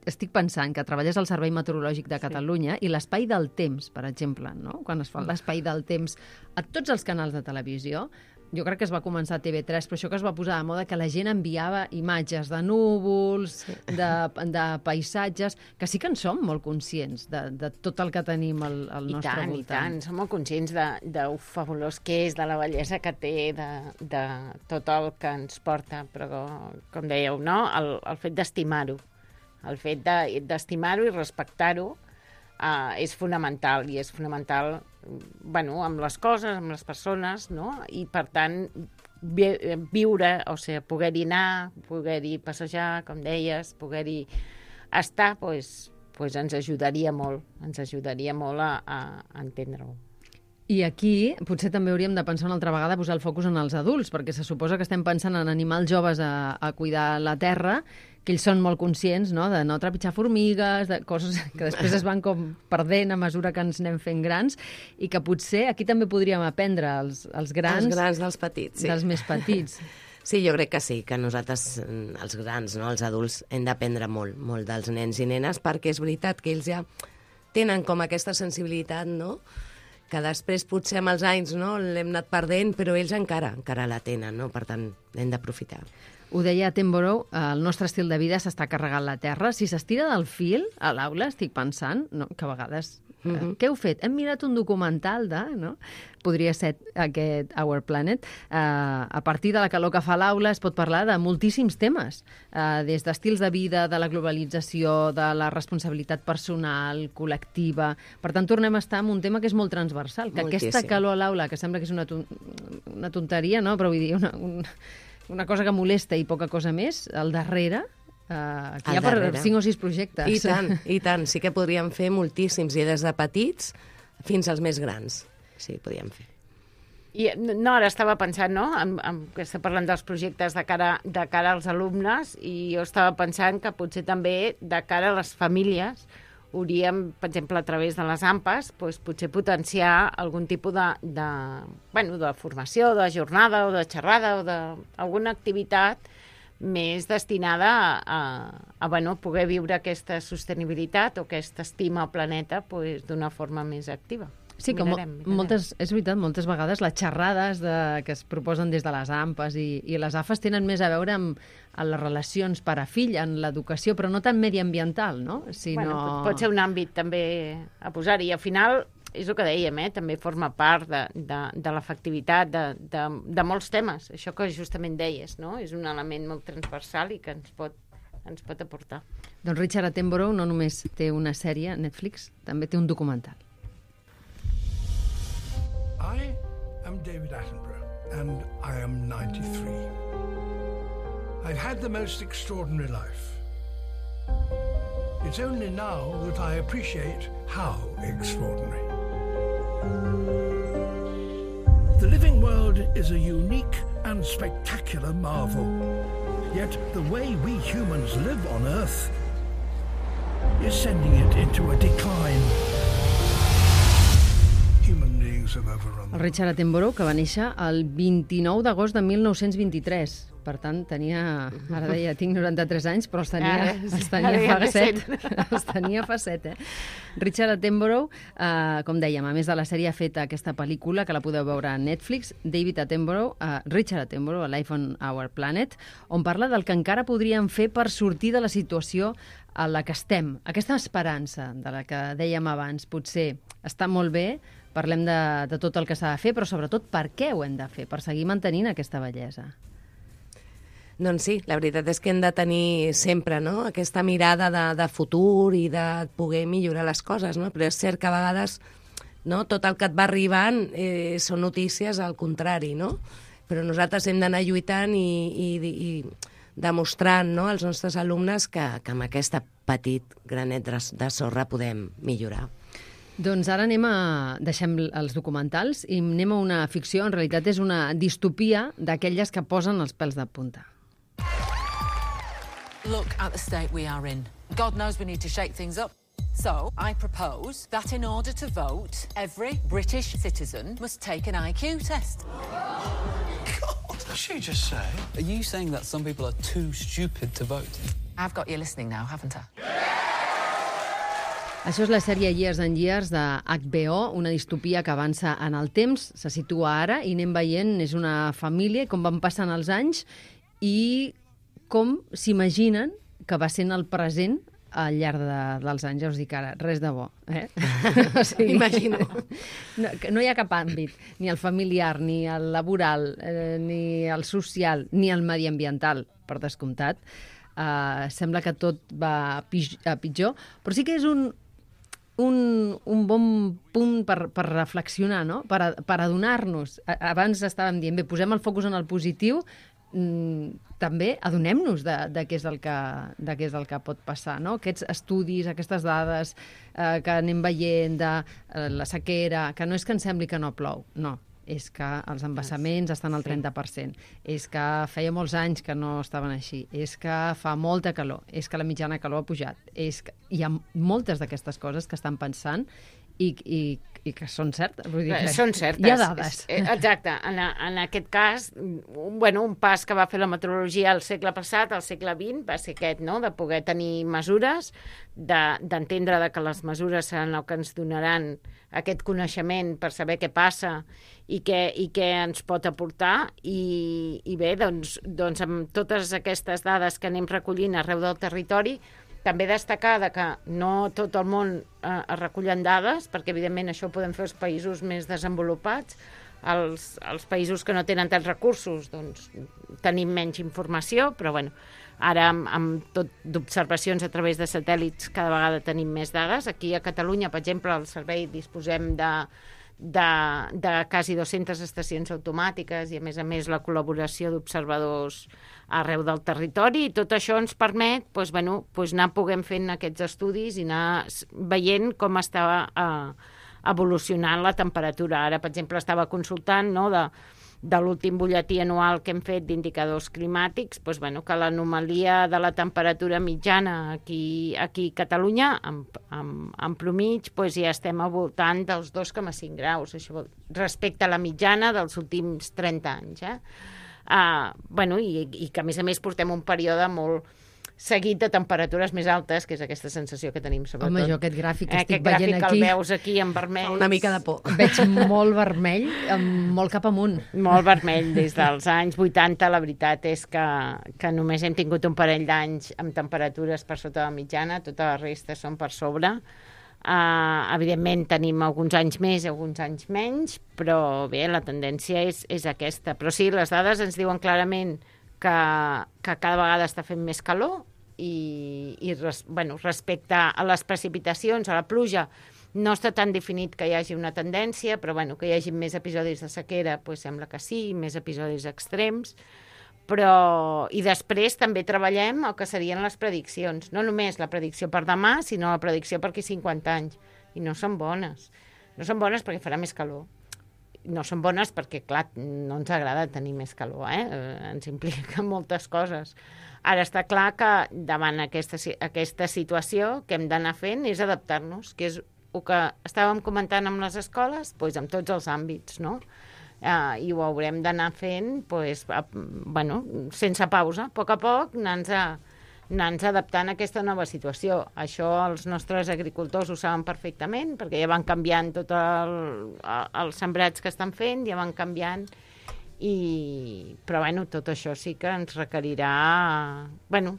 estic pensant que treballes al Servei Meteorològic de Catalunya sí. i l'espai del temps, per exemple, no? Quan es fa l'espai del temps a tots els canals de televisió, jo crec que es va començar a T V tres, però això que es va posar de moda, que la gent enviava imatges de núvols, sí. de, de paisatges, que sí que en som molt conscients de, de tot el que tenim al, al I nostre tant, voltant. I tant, som molt conscients de, de ho fabulós que és, de la bellesa que té, de, de tot el que ens porta, però com dèieu, no? El, el fet d'estimar-ho, el fet d'estimar-ho i respectar-ho uh, és fonamental, i és fonamental bueno, amb les coses, amb les persones, no? I, per tant, vi viure, o sigui, poder-hi anar, poder-hi passejar, com deies, poder-hi estar, doncs, pues ens ajudaria molt, ens ajudaria molt a, a entendre-ho. I aquí potser també hauríem de pensar una altra vegada posar el focus en els adults, perquè se suposa que estem pensant en animals joves a, a cuidar la terra, que ells són molt conscients, no?, de no trepitjar formigues, de coses que després es van com perdent a mesura que ens anem fent grans, i que potser aquí també podríem aprendre els, els grans... Els grans dels petits, sí. Dels més petits. Sí, jo crec que sí, que nosaltres, els grans, no, els adults, hem d'aprendre molt, molt dels nens i nenes, perquè és veritat que ells ja tenen com aquesta sensibilitat, no?, que després potser amb els anys, no, l'hem anat perdent, però ells encara encara la tenen, no? Per tant, hem d'aprofitar. Ho deia Attenborough, el nostre estil de vida s'està carregant la terra. Si s'estira del fil a l'aula, estic pensant, no, que a vegades... Mm -hmm. Què heu fet? Hem mirat un documental de... No? Podria ser aquest Our Planet. Uh, a partir de la calor que fa l'aula es pot parlar de moltíssims temes, uh, des d'estils de vida, de la globalització, de la responsabilitat personal, col·lectiva... Per tant, tornem a estar en un tema que és molt transversal, que Moltíssim. Aquesta calor a l'aula, que sembla que és una, ton una tonteria, no? Però vull dir, una, un, una cosa que molesta i poca cosa més, al darrere... Uh, aquí hi ha per cinc o sis projectes. I tant, i tant. Sí que podríem fer moltíssims, i des de petits fins als més grans. Sí, podríem fer. I, no, ara estava pensant, no?, en, en, que està parlant dels projectes de cara, de cara als alumnes, i jo estava pensant que potser també de cara a les famílies hauríem, per exemple, a través de les A M P As, doncs, potser potenciar algun tipus de, de, bueno, de formació, de jornada o de xerrada o d'alguna activitat més destinada a, a, a bueno, poder viure aquesta sostenibilitat o aquesta estima al planeta pues, d'una forma més activa. Sí, que mirarem, mirarem. Moltes, és veritat, moltes vegades les xerrades de, que es proposen des de les A M P As i, i les A F As tenen més a veure amb, amb les relacions pare-fill, en l'educació, però no tan mediambiental, no? Sinó... Bueno, pot ser un àmbit també a posar-hi. I al final, és el que dèiem, eh? També forma part de, de, de l'efectivitat de, de, de molts temes. Això que justament deies, no? És un element molt transversal i que ens pot, ens pot aportar. Doncs Richard Attenborough no només té una sèrie a Netflix, també té un documental. I am David Attenborough, and I am ninety-three. I've had the most extraordinary life. It's only now that I appreciate how extraordinary. The living world is a unique and spectacular marvel. Yet the way we humans live on Earth is sending it into a decline. Human beings have overrun. El Richard Attenborough, que va néixer el vint-i-nou d'agost de mil nou-cents vint-i-tres. Per tant, tenia... Ara deia, tinc noranta-tres anys, però els tenia, els tenia fa set. Els tenia fa set, eh? Richard Attenborough, eh, com dèiem, a més de la sèrie ha fet aquesta pel·lícula, que la podeu veure a Netflix, David Attenborough, eh, Richard Attenborough, a Life on Our Planet, on parla del que encara podríem fer per sortir de la situació a la que estem. Aquesta esperança de la que dèiem abans, potser està molt bé, parlem de, de tot el que s'ha de fer, però sobretot per què ho hem de fer, per seguir mantenint aquesta bellesa. Doncs sí, la veritat és que hem de tenir sempre, no?, aquesta mirada de, de futur i de poder millorar les coses, no? Però és cert que a vegades, no?, tot el que et va arribant eh, són notícies al contrari, no? Però nosaltres hem d'anar lluitant i, i, i demostrant, no?, als nostres alumnes que, que amb aquesta petit granet de sorra podem millorar. Doncs ara anem a... deixem els documentals i anem a una ficció, en realitat és una distopia d'aquelles que posen els pèls de punta. Look at the state we are in. God knows we need to shake things up. So, I propose that in order to vote, every British citizen must take an I Q test. What did she just say? Are you saying that some people are too stupid to vote? I've got you listening now, haven't I? Això és la sèrie Years and Years de H B O, una distopia que avança en el temps, se situa ara i anem veient, és una família, com van passant els anys i com s'imaginen que va sent el present al llarg de, dels anys. Ja us dic ara, res de bo. Eh? O sigui, imagino. No, no hi ha cap àmbit, ni el familiar, ni el laboral, eh, ni el social, ni el mediambiental, per descomptat. Uh, sembla que tot va a pitjor, però sí que és un, un, un bon punt per, per reflexionar, no? Per, a- per adonar-nos. A- Abans estàvem dient, bé, posem el focus en el positiu, mm, també adonem-nos de, de, què és el que, de què és el que pot passar, no? Aquests estudis, aquestes dades eh, que anem veient de eh, la sequera, que no és que ens sembli que no plou, no, és que els embassaments estan al trenta per cent, és que feia molts anys que no estaven així, és que fa molta calor, és que la mitjana calor ha pujat, és que hi ha moltes d'aquestes coses que estan pensant i, i, i que són certes. Vull dir que Són certes. hi ha dades. Eh, Exacte. En, a- en aquest cas, un, bueno, un pas que va fer la meteorologia al segle passat, al segle vint, va ser aquest, no?, de poder tenir mesures, de- d'entendre de, que les mesures seran el que ens donaran aquest coneixement per saber què passa i què, i què ens pot aportar. I, i bé, doncs, doncs amb totes aquestes dades que anem recollint arreu del territori, també destacar de que no tot el món eh, es recullen dades, perquè evidentment això ho podem fer els països més desenvolupats. Els, els països que no tenen tants recursos, doncs tenim menys informació, però bueno, ara amb, amb tot d'observacions a través de satèl·lits cada vegada tenim més dades. Aquí a Catalunya, per exemple, al servei disposem de, de, de quasi dues-centes estacions automàtiques i a més a més la col·laboració d'observadors arreu del territori, i tot això ens permet doncs, bueno, doncs anar puguem fent aquests estudis i anar s- veient com està eh, evolucionant la temperatura. Ara, per exemple, estava consultant, no, de, de l'últim butlletí anual que hem fet d'indicadors climàtics, doncs, bueno, que l'anomalia de la temperatura mitjana aquí, aquí a Catalunya, en, en, en promig, doncs, ja estem al voltant dels dos coma cinc graus, això vol- respecte a la mitjana dels últims trenta anys. Eh? Uh, bueno, i, i que a més a més portem un període molt seguit de temperatures més altes, que és aquesta sensació que tenim sobretot. Home, jo aquest gràfic que Eh, estic aquest gràfic veient que aquí... el veus aquí en vermell. Fa una mica de por. Veig molt vermell, amb molt cap amunt. Molt vermell des dels anys vuitanta. La veritat és que, que només hem tingut un parell d'anys amb temperatures per sota de la mitjana, tota la resta són per sobre. Uh, evidentment tenim alguns anys més, alguns anys menys, però bé, la tendència és, és aquesta. Però sí, les dades ens diuen clarament que, que cada vegada està fent més calor i, i res, bueno, respecte a les precipitacions, a la pluja, no està tan definit que hi hagi una tendència, però bueno, que hi hagi més episodis de sequera, doncs sembla que sí, més episodis extrems. Però, i després també treballem el que serien les prediccions. No només la predicció per demà, sinó la predicció per aquí cinquanta anys. I no són bones. No són bones perquè farà més calor. No són bones perquè, clar, no ens agrada tenir més calor, eh? Ens implica moltes coses. Ara està clar que davant aquesta, aquesta situació que hem d'anar fent és adaptar-nos, que és el que estàvem comentant amb les escoles, doncs amb tots els àmbits, no? Uh, i ho haurem d'anar fent pues, a, bueno, sense pausa, a poc a poc anar-nos anar adaptant a aquesta nova situació. Això els nostres agricultors ho saben perfectament, perquè ja van canviant tots el, els sembrats que estan fent, ja van canviant, i... però bueno, tot això sí que ens requerirà bueno,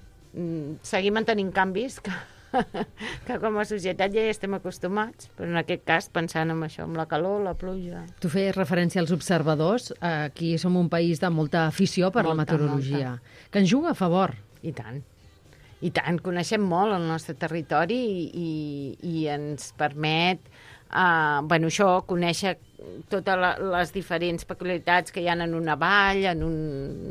seguir mantenint canvis que que com a societat ja hi estem acostumats, però en aquest cas pensant en això, amb la calor, la pluja. Tu feies referència als observadors. Aquí som un país de molta afició per molta, la meteorologia, molta. Que ens juga a favor. I tant. I tant, coneixem molt el nostre territori i, i, i ens permet uh, bueno, això, conèixer totes la, les diferents peculiaritats que hi ha en una vall, en un,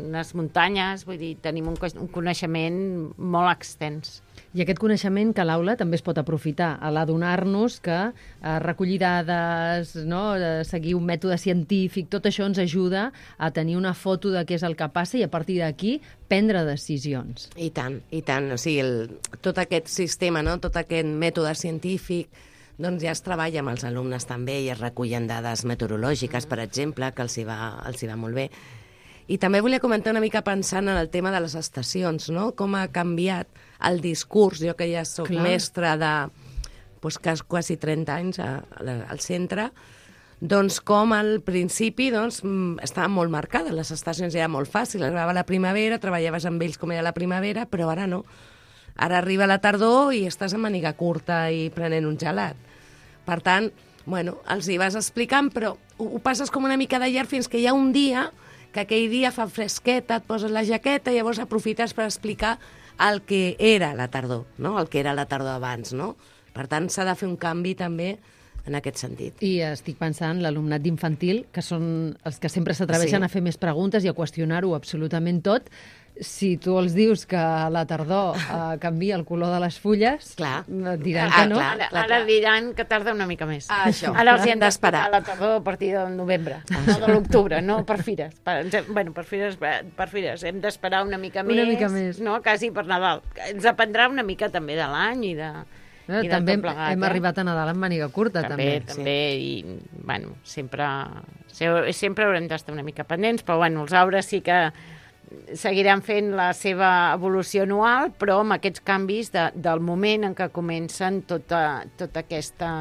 unes muntanyes, vull dir, tenim un, un coneixement molt extens. I aquest coneixement que a l'aula també es pot aprofitar, a l'adonar-nos que eh, recollir dades, no, eh, seguir un mètode científic, tot això ens ajuda a tenir una foto de què és el que passa i a partir d'aquí prendre decisions. I tant, i tant. O sigui, el, tot aquest sistema, no? Tot aquest mètode científic, doncs ja es treballa amb els alumnes també i es recullen dades meteorològiques, per exemple, que els hi va, els hi va molt bé. I també volia comentar una mica pensant en el tema de les estacions, no? Com ha canviat el discurs, jo que ja soc Clar. mestra de pues, quasi trenta anys a, a, al centre, doncs com al principi doncs, estaven molt marcades, les estacions eren molt fàcils, arribava la primavera, treballaves amb ells com era la primavera, però ara no. Ara arriba la tardor i estàs amb màniga curta i prenent un gelat. Per tant, bueno, els hi vas explicant, però ho, ho passes com una mica de llarg fins que hi ha un dia que aquell dia fa fresqueta, et poses la jaqueta i llavors aprofites per explicar el que era la tardor, no? El que era la tardor abans, no? Per tant, s'ha de fer un canvi també en aquest sentit. I estic pensant l'alumnat d'infantil, que són els que sempre s'atreveixen Sí. a fer més preguntes i a qüestionar-ho absolutament tot. Si tu els dius que a la tardor eh, canvia el color de les fulles, Clar. et diran Ah, que no. clar. Ara, ara diran que tarda una mica més. Ah, això. Ara els hi hem Hem d'esperar. d'esperar a la tardor a partir del novembre, no de l'octubre, no per fires. Per, ens hem- bueno, per fires, per fires. Hem d'esperar una mica Una més, mica més. no? Quasi per Nadal. Ens dependrà una mica també de l'any i de... Eh, i de també tot plegat, hem eh? arribat a Nadal amb màniga curta, També, també. també, i, bueno, sempre, se- sempre haurem d'estar una mica pendents, però, bueno, els arbres sí que seguiran fent la seva evolució anual, però amb aquests canvis de, del moment en què comencen tota, tota aquesta...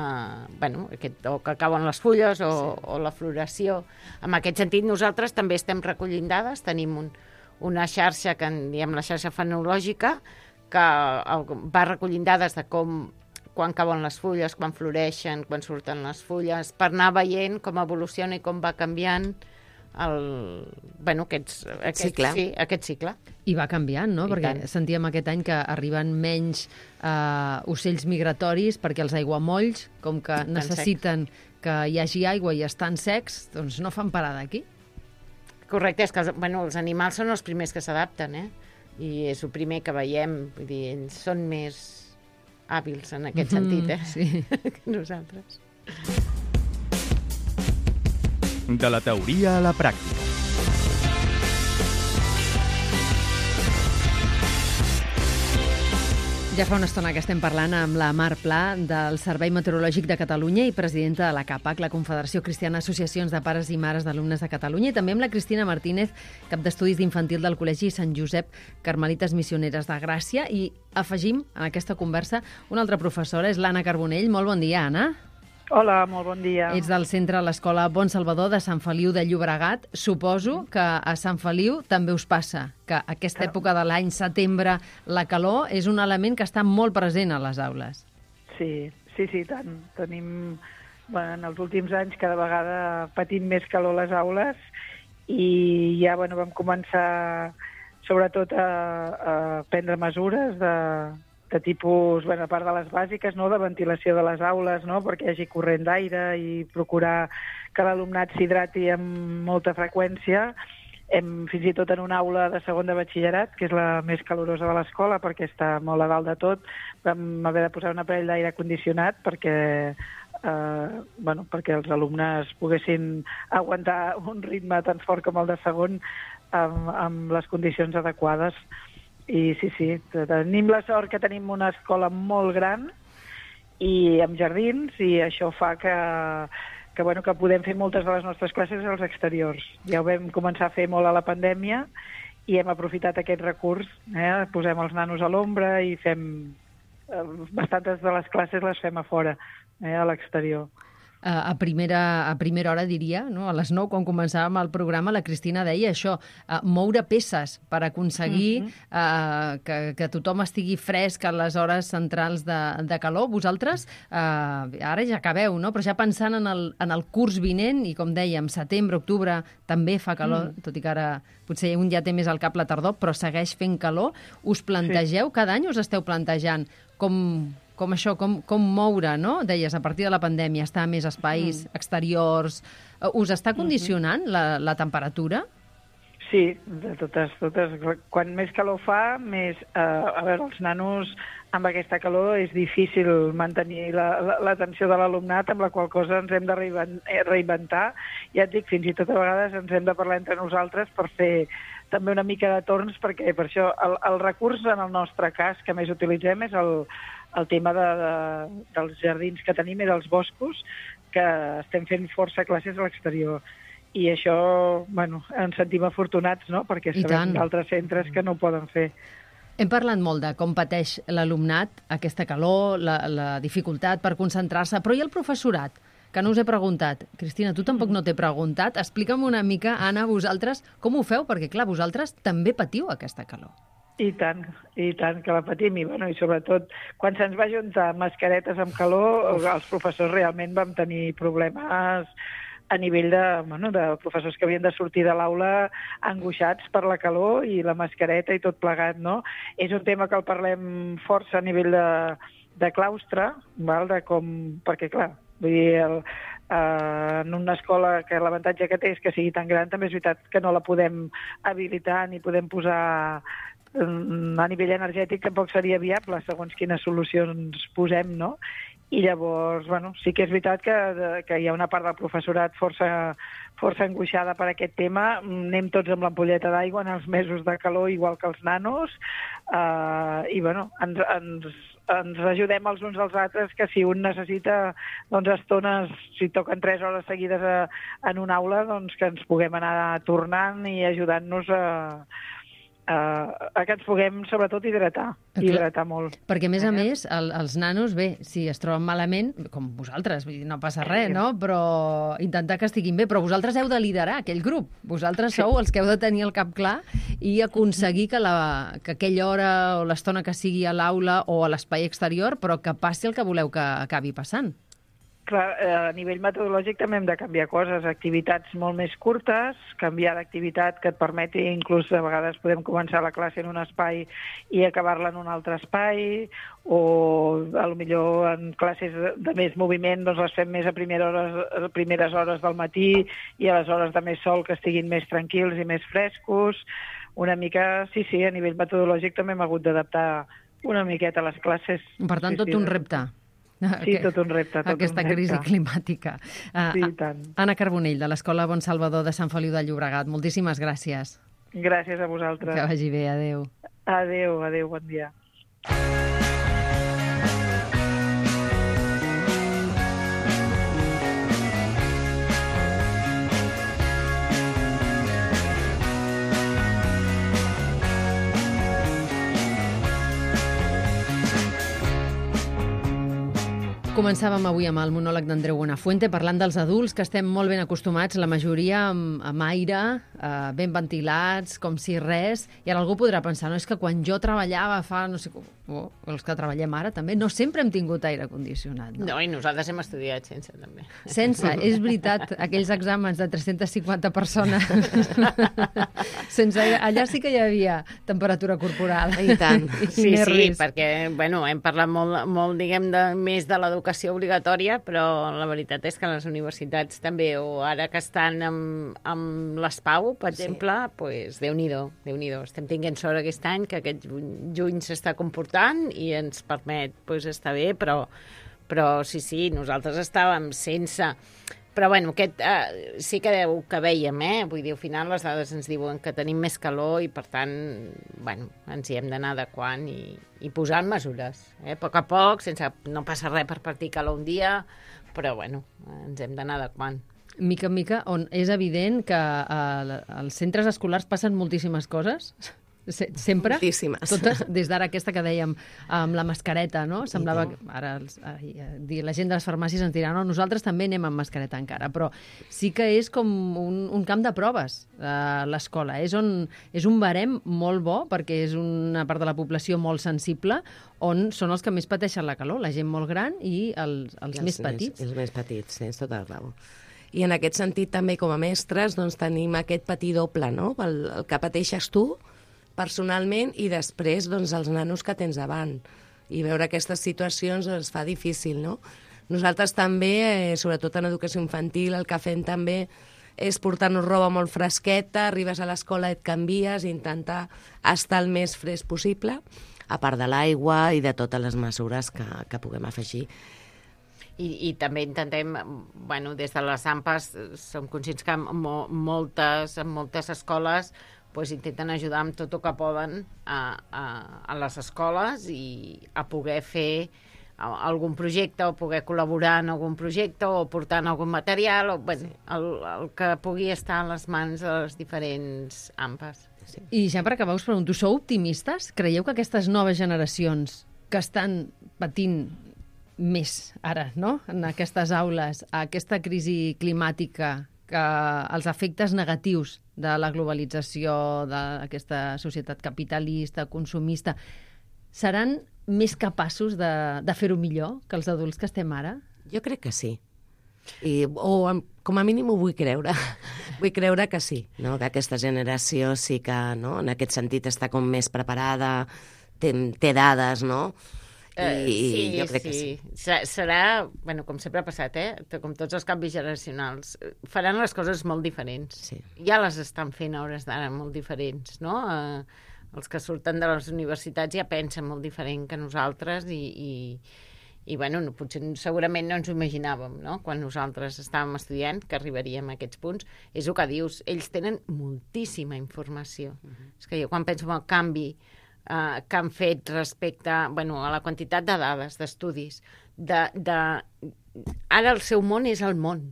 Bueno, aquest, o que acaben les fulles o, sí. o la floració. En aquest sentit, nosaltres també estem recollint dades, tenim un, una xarxa que en diem la xarxa fenològica, que el, va recollint dades de com quan cauen les fulles, quan floreixen, quan surten les fulles, per anar veient com evoluciona i com va canviant el, bueno, aquests, aquest, Cicle. Sí, aquest cicle. I va canviant, no? I Perquè tant. sentíem aquest any que arriben menys eh, ocells migratoris perquè els aiguamolls, com que Estan necessiten que hi hagi aigua i estan secs, doncs no fan parada aquí. Correcte, és que els, bueno, els animals són els primers que s'adapten, eh? I és el primer que veiem, vull dir, ells són més hàbils en aquest sentit, eh? Sí. que nosaltres. De la teoria a la pràctica. Ja fa una estona que estem parlant amb la Mar Pla del Servei Meteorològic de Catalunya i presidenta de la CAPAC, la Confederació Cristiana d'Associacions de Pares i Mares d'Alumnes de Catalunya, i també amb la Cristina Martínez, cap d'Estudis d'Infantil del Col·legi Sant Josep Carmelites Missioneres de Gràcia, i afegim en aquesta conversa una altra professora, és l'Anna Carbonell. Molt bon dia, Anna. Hola, molt bon dia. Ets del centre a l'Escola Bon Salvador de Sant Feliu de Llobregat. Suposo que a Sant Feliu també us passa, que aquesta època de l'any, setembre, la calor és un element que està molt present a les aules. Sí, sí, sí, tant. Tenim, bueno, en els últims anys cada vegada patim més calor a les aules i ja bueno, vam començar sobretot a, a prendre mesures de, de tipus, bueno, a part de les bàsiques, no?, de ventilació de les aules, no?, perquè hi hagi corrent d'aire i procurar que l'alumnat s'hidrati amb molta freqüència. Hem, fins i tot en una aula de segon de batxillerat, que és la més calorosa de l'escola, perquè està molt a dalt de tot, vam haver de posar un aparell d'aire condicionat perquè, eh, bueno, perquè els alumnes poguessin aguantar un ritme tan fort com el de segon amb, amb les condicions adequades. I sí, sí, tenim la sort que tenim una escola molt gran i amb jardins, i això fa que, que, bueno, que podem fer moltes de les nostres classes als exteriors. Ja ho vam començar a fer molt a la pandèmia i hem aprofitat aquest recurs, eh? Posem els nanos a l'ombra i fem... Eh, bastantes de les classes les fem a fora, eh? A l'exterior. A primera, a primera hora, diria, no? A les nou, quan començàvem el programa, la Cristina deia això, uh, moure peces per aconseguir uh-huh. uh, que, que tothom estigui fresc a les hores centrals de, de calor. Vosaltres, uh, ara ja acabeu, no? Però ja pensant en el, en el curs vinent, i com dèiem, setembre, octubre, també fa calor, uh-huh. tot i que ara potser un ja té més al cap la tardor, però segueix fent calor. Us plantegeu, sí. Cada any us esteu plantejant com... com això, com, com moure, no? Deies, a partir de la pandèmia, estar a més espais mm. exteriors. Us està condicionant mm-hmm. la, la temperatura? Sí, de totes, totes. Quan més calor fa, més... Eh, a veure, els nanos amb aquesta calor és difícil mantenir l'atenció la, la, de l'alumnat, amb la qual cosa ens hem de reinventar. Ja et dic, fins i tot a vegades ens hem de parlar entre nosaltres per fer també una mica de torns, perquè per això el, el recurs en el nostre cas que més utilitzem és el, el tema de, de, dels jardins que tenim i dels boscos, que estem fent força classes a l'exterior. I això, bueno, ens sentim afortunats, no?, perquè sabem d'altres centres que no ho poden fer. Hem parlat molt de com pateix l'alumnat, aquesta calor, la, la dificultat per concentrar-se, però i el professorat, que no us he preguntat. Cristina, tu tampoc no t'he preguntat. Explica'm una mica, Anna, vosaltres, com ho feu? Perquè, clar, vosaltres també patiu aquesta calor. I tant, i tant que la patim, i, bueno, i sobretot quan se'ns va juntar mascaretes amb calor, els professors realment vam tenir problemes a nivell de, bueno, de professors que havien de sortir de l'aula angoixats per la calor i la mascareta i tot plegat, no? És un tema que el parlem força a nivell de, de claustre, val? De com, perquè clar, vull dir, el, Uh, en una escola que l'avantatge que té és que sigui tan gran, també és veritat que no la podem habilitar ni podem posar um, a nivell energètic, tampoc seria viable segons quines solucions posem, no? I llavors, bueno, sí que és veritat que, que hi ha una part del professorat força, força angoixada per aquest tema. Anem tots amb l'ampolleta d'aigua en els mesos de calor, igual que els nanos, uh, i bueno, ens, ens, ens ajudem els uns als altres, que si un necessita doncs, estones, si toquen tres hores seguides a, en una aula, doncs que ens puguem anar tornant i ajudant-nos a, a, a que ens puguem, sobretot, hidratar. Hidratar molt. Perquè, a més a més, el, els nanos, bé, si es troben malament, com vosaltres, vull dir, no passa res, no? Però intentar que estiguin bé. Però vosaltres heu de liderar aquell grup. Vosaltres sí. Sou els que heu de tenir el cap clar i aconseguir que, la, que aquella hora o l'estona que sigui a l'aula o a l'espai exterior, però que passi el que voleu que acabi passant. Clar, a nivell metodològic també hem de canviar coses, activitats molt més curtes, canviar d'activitat que et permeti, inclús a vegades podem començar la classe en un espai i acabar-la en un altre espai, o a lo millor en classes de més moviment doncs les fem més a primeres hores, a primeres hores del matí i a les hores de més sol que estiguin més tranquils i més frescos. Una mica, sí, sí, a nivell metodològic també hem hagut d'adaptar una miqueta les classes. Per tant, sí, tot sí, un repte. Sí, tot un repte. Tot Aquesta un repte. crisi climàtica. Uh, sí, tant. Anna Carbonell, de l'Escola Bon Salvador de Sant Feliu de Llobregat. Moltíssimes gràcies. Gràcies a vosaltres. Que vagi bé, adeu. Adeu, adeu, bon dia. Començàvem avui amb el monòleg d'Andreu Buenafuente parlant dels adults, que estem molt ben acostumats, la majoria amb, amb aire, eh, ben ventilats, com si res, i ara algú podrà pensar, no, és que quan jo treballava fa, no sé, oh, els que treballem ara també, no sempre hem tingut aire condicionat. No, no i nosaltres hem estudiat sense, també. Sense, és veritat, aquells exàmens de tres-centes cinquanta persones, sense aire, allà sí que hi havia temperatura corporal. I tant. I sí, sí, risc. perquè, bueno, hem parlat molt, molt diguem, de, més de l'educació obligatòria, però la veritat és que les universitats també, o ara que estan amb, amb l'S P A U, per exemple, sí. Pues, Déu-n'hi-do, Déu-n'hi-do. Estem tinguent sort aquest any que aquest juny s'està comportant i ens permet pues, estar bé, però, però sí, sí, nosaltres estàvem sense... Però, bueno, aquest, eh, sí que, que veiem, eh? Vull dir, al final les dades ens diuen que tenim més calor i, per tant, bueno, ens hi hem d'anar adequant i, i posant mesures, eh? A poc a poc, sense, no passa res per partir calor un dia, però, bueno, ens hem d'anar adequant. Mica en mica, on és evident que eh, als centres escolars passen moltíssimes coses, sempre, moltíssimes. Totes, des d'ara aquesta que dèiem amb la mascareta, no? Semblava que ara els, ai, la gent de les farmàcies ens dirà no, nosaltres també anem amb mascareta encara, però sí que és com un, un camp de proves eh, l'escola, és, on, és un barem molt bo perquè és una part de la població molt sensible on són els que més pateixen la calor, la gent molt gran i els, els, els més petits. Els més petits, tens tota la raó. I en aquest sentit també com a mestres doncs, tenim aquest patir doble, no? El, el que pateixes tu personalment i després doncs, els nanos que tens davant. I veure aquestes situacions es fa difícil, no? Nosaltres també, eh, sobretot en educació infantil, el que fem també és portar-nos roba molt fresqueta, arribes a l'escola, et canvies, intentar estar el més fresc possible, a part de l'aigua i de totes les mesures que, que puguem afegir. I, i també intentem, bueno, des de les A M P A S, som conscients que mo, moltes, en moltes escoles pues, intenten ajudar amb tot el que poden a, a, a les escoles i a poder fer algun projecte o poder col·laborar en algun projecte o portar algun material, o, bueno, el, el que pugui estar a les mans de les diferents A M P A S. Sí. I ja per acabar us pregunto, sou optimistes? Creieu que aquestes noves generacions que estan patint més ara, no?, en aquestes aules, aquesta crisi climàtica, que els efectes negatius de la globalització, d'aquesta societat capitalista, consumista, seran més capaços de, de fer-ho millor que els adults que estem ara? Jo crec que sí. I, o com a mínim ho vull creure. Vull creure que sí, no? Que aquesta generació sí que, no?, en aquest sentit està com més preparada, té, té dades, no?, Uh, I sí, jo crec sí. que sí. Se- Serà, bueno, com sempre ha passat, eh? Com tots els canvis generacionals, faran les coses molt diferents. Sí. Ja les estan fent a hores d'ara molt diferents, no? Uh, els que surten de les universitats ja pensen molt diferent que nosaltres i, i, i bueno, no, potser segurament no ens ho imaginàvem, no? Quan nosaltres estàvem estudiant, que arribaríem a aquests punts. És el que dius, ells tenen moltíssima informació. Uh-huh. És que jo quan penso en el canvi Uh, que han fet respecte bueno, a la quantitat de dades, d'estudis. De, de... Ara el seu món és el món.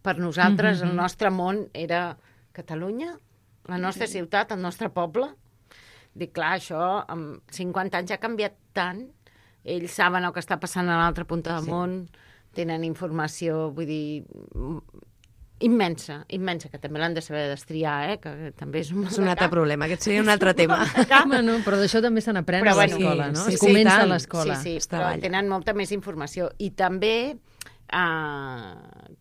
Per nosaltres, mm-hmm. el nostre món era Catalunya, la nostra ciutat, el nostre poble. Dic, clar, això amb cinquanta anys ha canviat tant. Ells saben el que està passant a l'altra punta del sí. món, tenen informació, vull dir... immensa, immensa, que també l'han de saber destriar, eh? Que també és un, és un altre problema, aquest seria un altre tema. Bueno, però d'això també se n'aprèn a l'escola, no? Sí, es comença sí, a l'escola. Sí, sí, però tenen molta més informació. I també eh,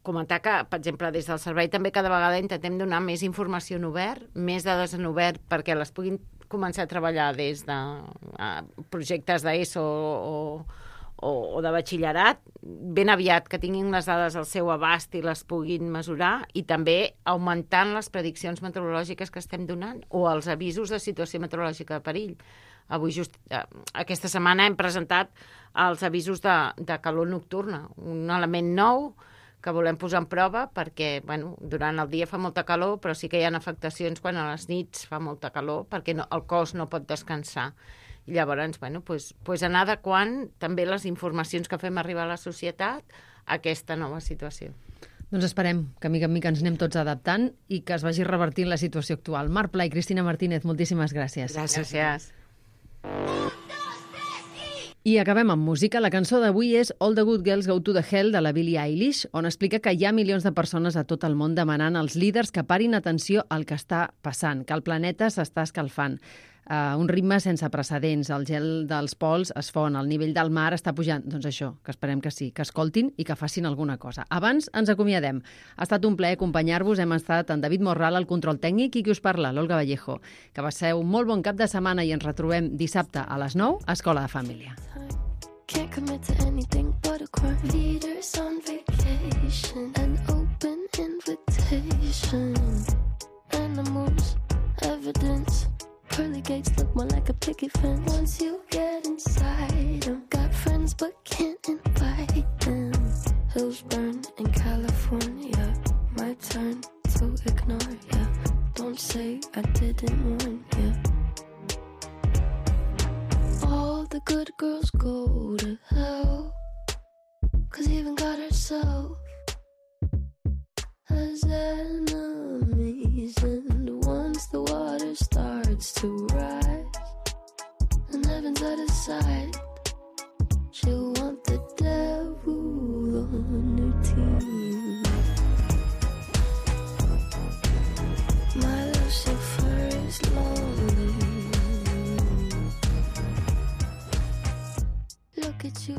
comentar que, per exemple, des del servei també cada vegada intentem donar més informació en obert, més dades en obert, perquè les puguin començar a treballar des de uh, projectes d'ESO o, o, o de batxillerat, ben aviat que tinguin les dades al seu abast i les puguin mesurar, i també augmentant les prediccions meteorològiques que estem donant o els avisos de situació meteorològica de perill. Avui, just eh, aquesta setmana, hem presentat els avisos de, de calor nocturna, un element nou que volem posar en prova perquè, bueno, durant el dia fa molta calor, però sí que hi ha afectacions quan a les nits fa molta calor perquè no, el cos no pot descansar. I llavors, bueno, pues, pues anar adequant també les informacions que fem arribar a la societat a aquesta nova situació. Doncs esperem que mica en mica ens anem tots adaptant i que es vagi revertint la situació actual. Marc Pla i Cristina Martínez, moltíssimes gràcies. Gràcies. gràcies. I acabem amb música. La cançó d'avui és All the Good Girls Go to the Hell de la Billie Eilish, on explica que hi ha milions de persones a tot el món demanant als líders que parin atenció al que està passant, que el planeta s'està escalfant. Uh, un ritme sense precedents, el gel dels pols es fon, el nivell del mar està pujant. Doncs això, que esperem que sí, que escoltin i que facin alguna cosa. Abans ens acomiadem. Ha estat un plaer acompanyar-vos. Hem estat en David Morral, al control tècnic, i qui us parla, l'Olga Vallejo. Que passeu un molt bon cap de setmana i ens retrobem dissabte a les nou a Escola de Família. Can't commit to anything but a crime. Leaders on vacation, an open invitation. Animals, evidence. Pearly gates look more like a picket fence. Once you get inside them, got friends but can't invite them. Hills burn in California, my turn to ignore ya. Don't say I didn't warn ya. All the good girls go to hell, 'cause even God herself has enemies. And once the water starts to rise and heaven's out of sight, she'll want the devil on her team. My Lucifer is lonely. Look at you.